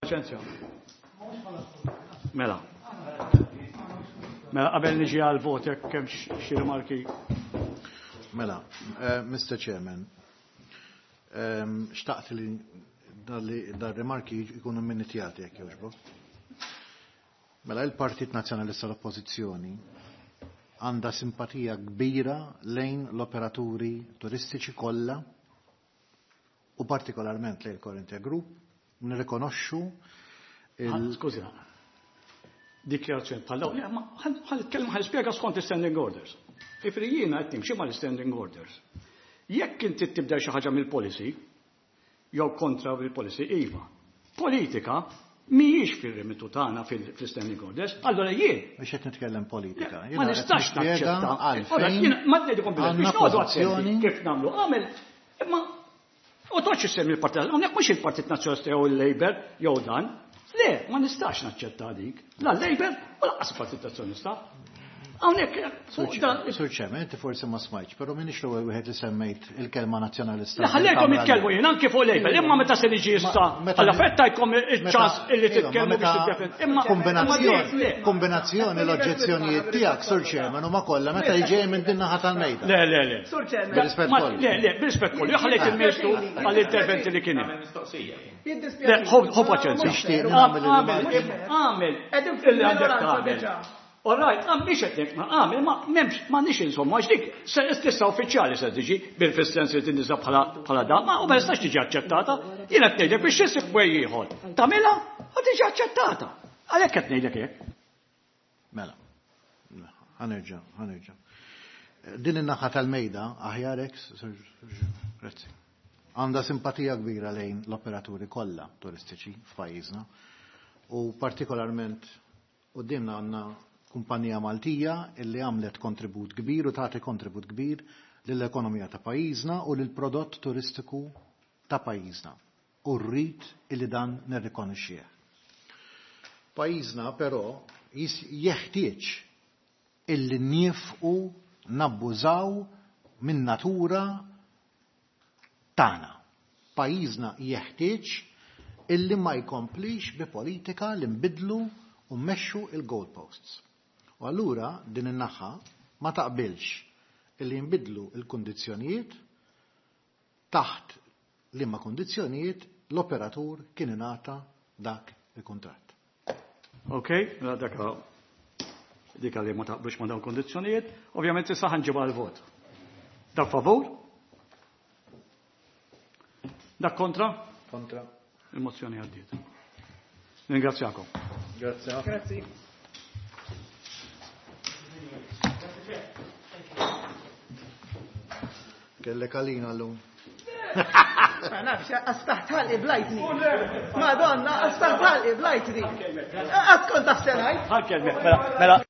Paċenzja. Mela. Mela qabel niġi għal vot jekk hemm xi rimarki. Mela, Mr. Chairman, xtaqt li dar-rimarki jkunu minitjati jekk jogħġbok. Mela il-Partit Nazzjonalista l-Oppożizzjoni għandha simpatija kbira lejn l-operaturi turistiċi kollha u partikolarment lejn Corinthia Group, nirrikonoxxu il- Skużi. Dikjarazzjoni bħal dawn, ma ħa nitkellem ħa nispjega skont standing orders. Ifri jiena qed nimxi mal-standing orders. Jekk inti tibda xi ħaġa mill-policy, jew kontra il-policy, iva. Politika mhijiex fir-remitu tagħna fil-standing orders, allora jien Biex qed nitkellem politika. Ma nistax naċċetta. Ora, jiena ma ngħidilkom bil biex noqogħdu attenti kif nagħmlu. Għamel, imma u toċ issemmi il-Partit, hawnhekk mhux il-Partit Nazzjonalista jew il-Labour jew dan. Le, ma nistax naċċetta dik. La l-Labour u lanqas il-Partit Nazzjonalista. Hawnhekk fuq dan Sur Chairman, inti forsi ma smajtx, però m'iniex l-ewwel wieħed li semmejt il-kelma nazzjonalista. Le, ħallejkom jitkellmu jien anke fuq Labour, imma meta se niġi issa, alla fettajkom iċ-ċans illi titkellmu biex tiddefend. Imma Kombinazzjoni, kombinazzjoni l-oġġezzjonijiet tiegħek, Sur Chairman, huma kollha meta ġej minn din naħa tal-mejda. Le, le, le. Sur Chairman. Bir-rispett kollu. Le, le, bir-rispett kollu. Ħallejt il-Ministru għall-interventi li kien hemm. Jiddispjaċini. Le, ħu paċenzja. Nixtieq nagħmel Għamel, għamel, Qegħdin illi għandek fil-minoranza tagħmel. diġà. All right, għam biex qed ngħid, ma għamel, ma m'hemmx, m'għandniex insomma, għax dik se stessa uffiċjali se tiġi bil-fis-sens li tinniża bħala da, ma u ma jistax tiġi aċċettata. Jien qed ngħidlek biex isib way ieħor. Tagħmilha u tiġi aċċettata. Għalhekk qed ngħidlek hekk. Mela. Ħanerġa', ħanerġa'. Din in-naħa tal-mejda aħjar hekk, grazzi. Għandha simpatija kbira lejn l-operaturi kollha turistiċi f'pajjiżna u partikolarment quddiemna għandna kumpanija Maltija illi għamlet kontribut kbir u tagħti kontribut kbir lill-ekonomija ta' pajjiżna u lill-prodott turistiku ta' pajjiżna. U rrid illi dan nirrikonoxxih. Pajjiżna però jeħtieġ illi niefqu nabbużaw minn natura tagħna. Pajjiżna jeħtieġ illi ma jkomplix bi politika li nbidlu u mmexxu il-goalposts. U allura din in-naħa ma taqbilx illi nbidlu il-kundizzjonijiet taħt liema kundizzjonijiet l-operatur kien ingħata dak il-kuntratt. Ok, mela dak dik li ma taqbilx ma dawn kundizzjonijiet, ovvjament issa ħanġibha l-vot. Dak favur? Dak kontra? Kontra. Il-mozzjoni għaddiet. Ringrazzjakom. Grazie. Grazzi. Kellek għalina l-lum. Ma nafx, għastaħt ħalqi blajtni. Madonna, għastaħt ħalqi blajtni. Għad kont taħsenajt. Ħalkelmek, mela, mela.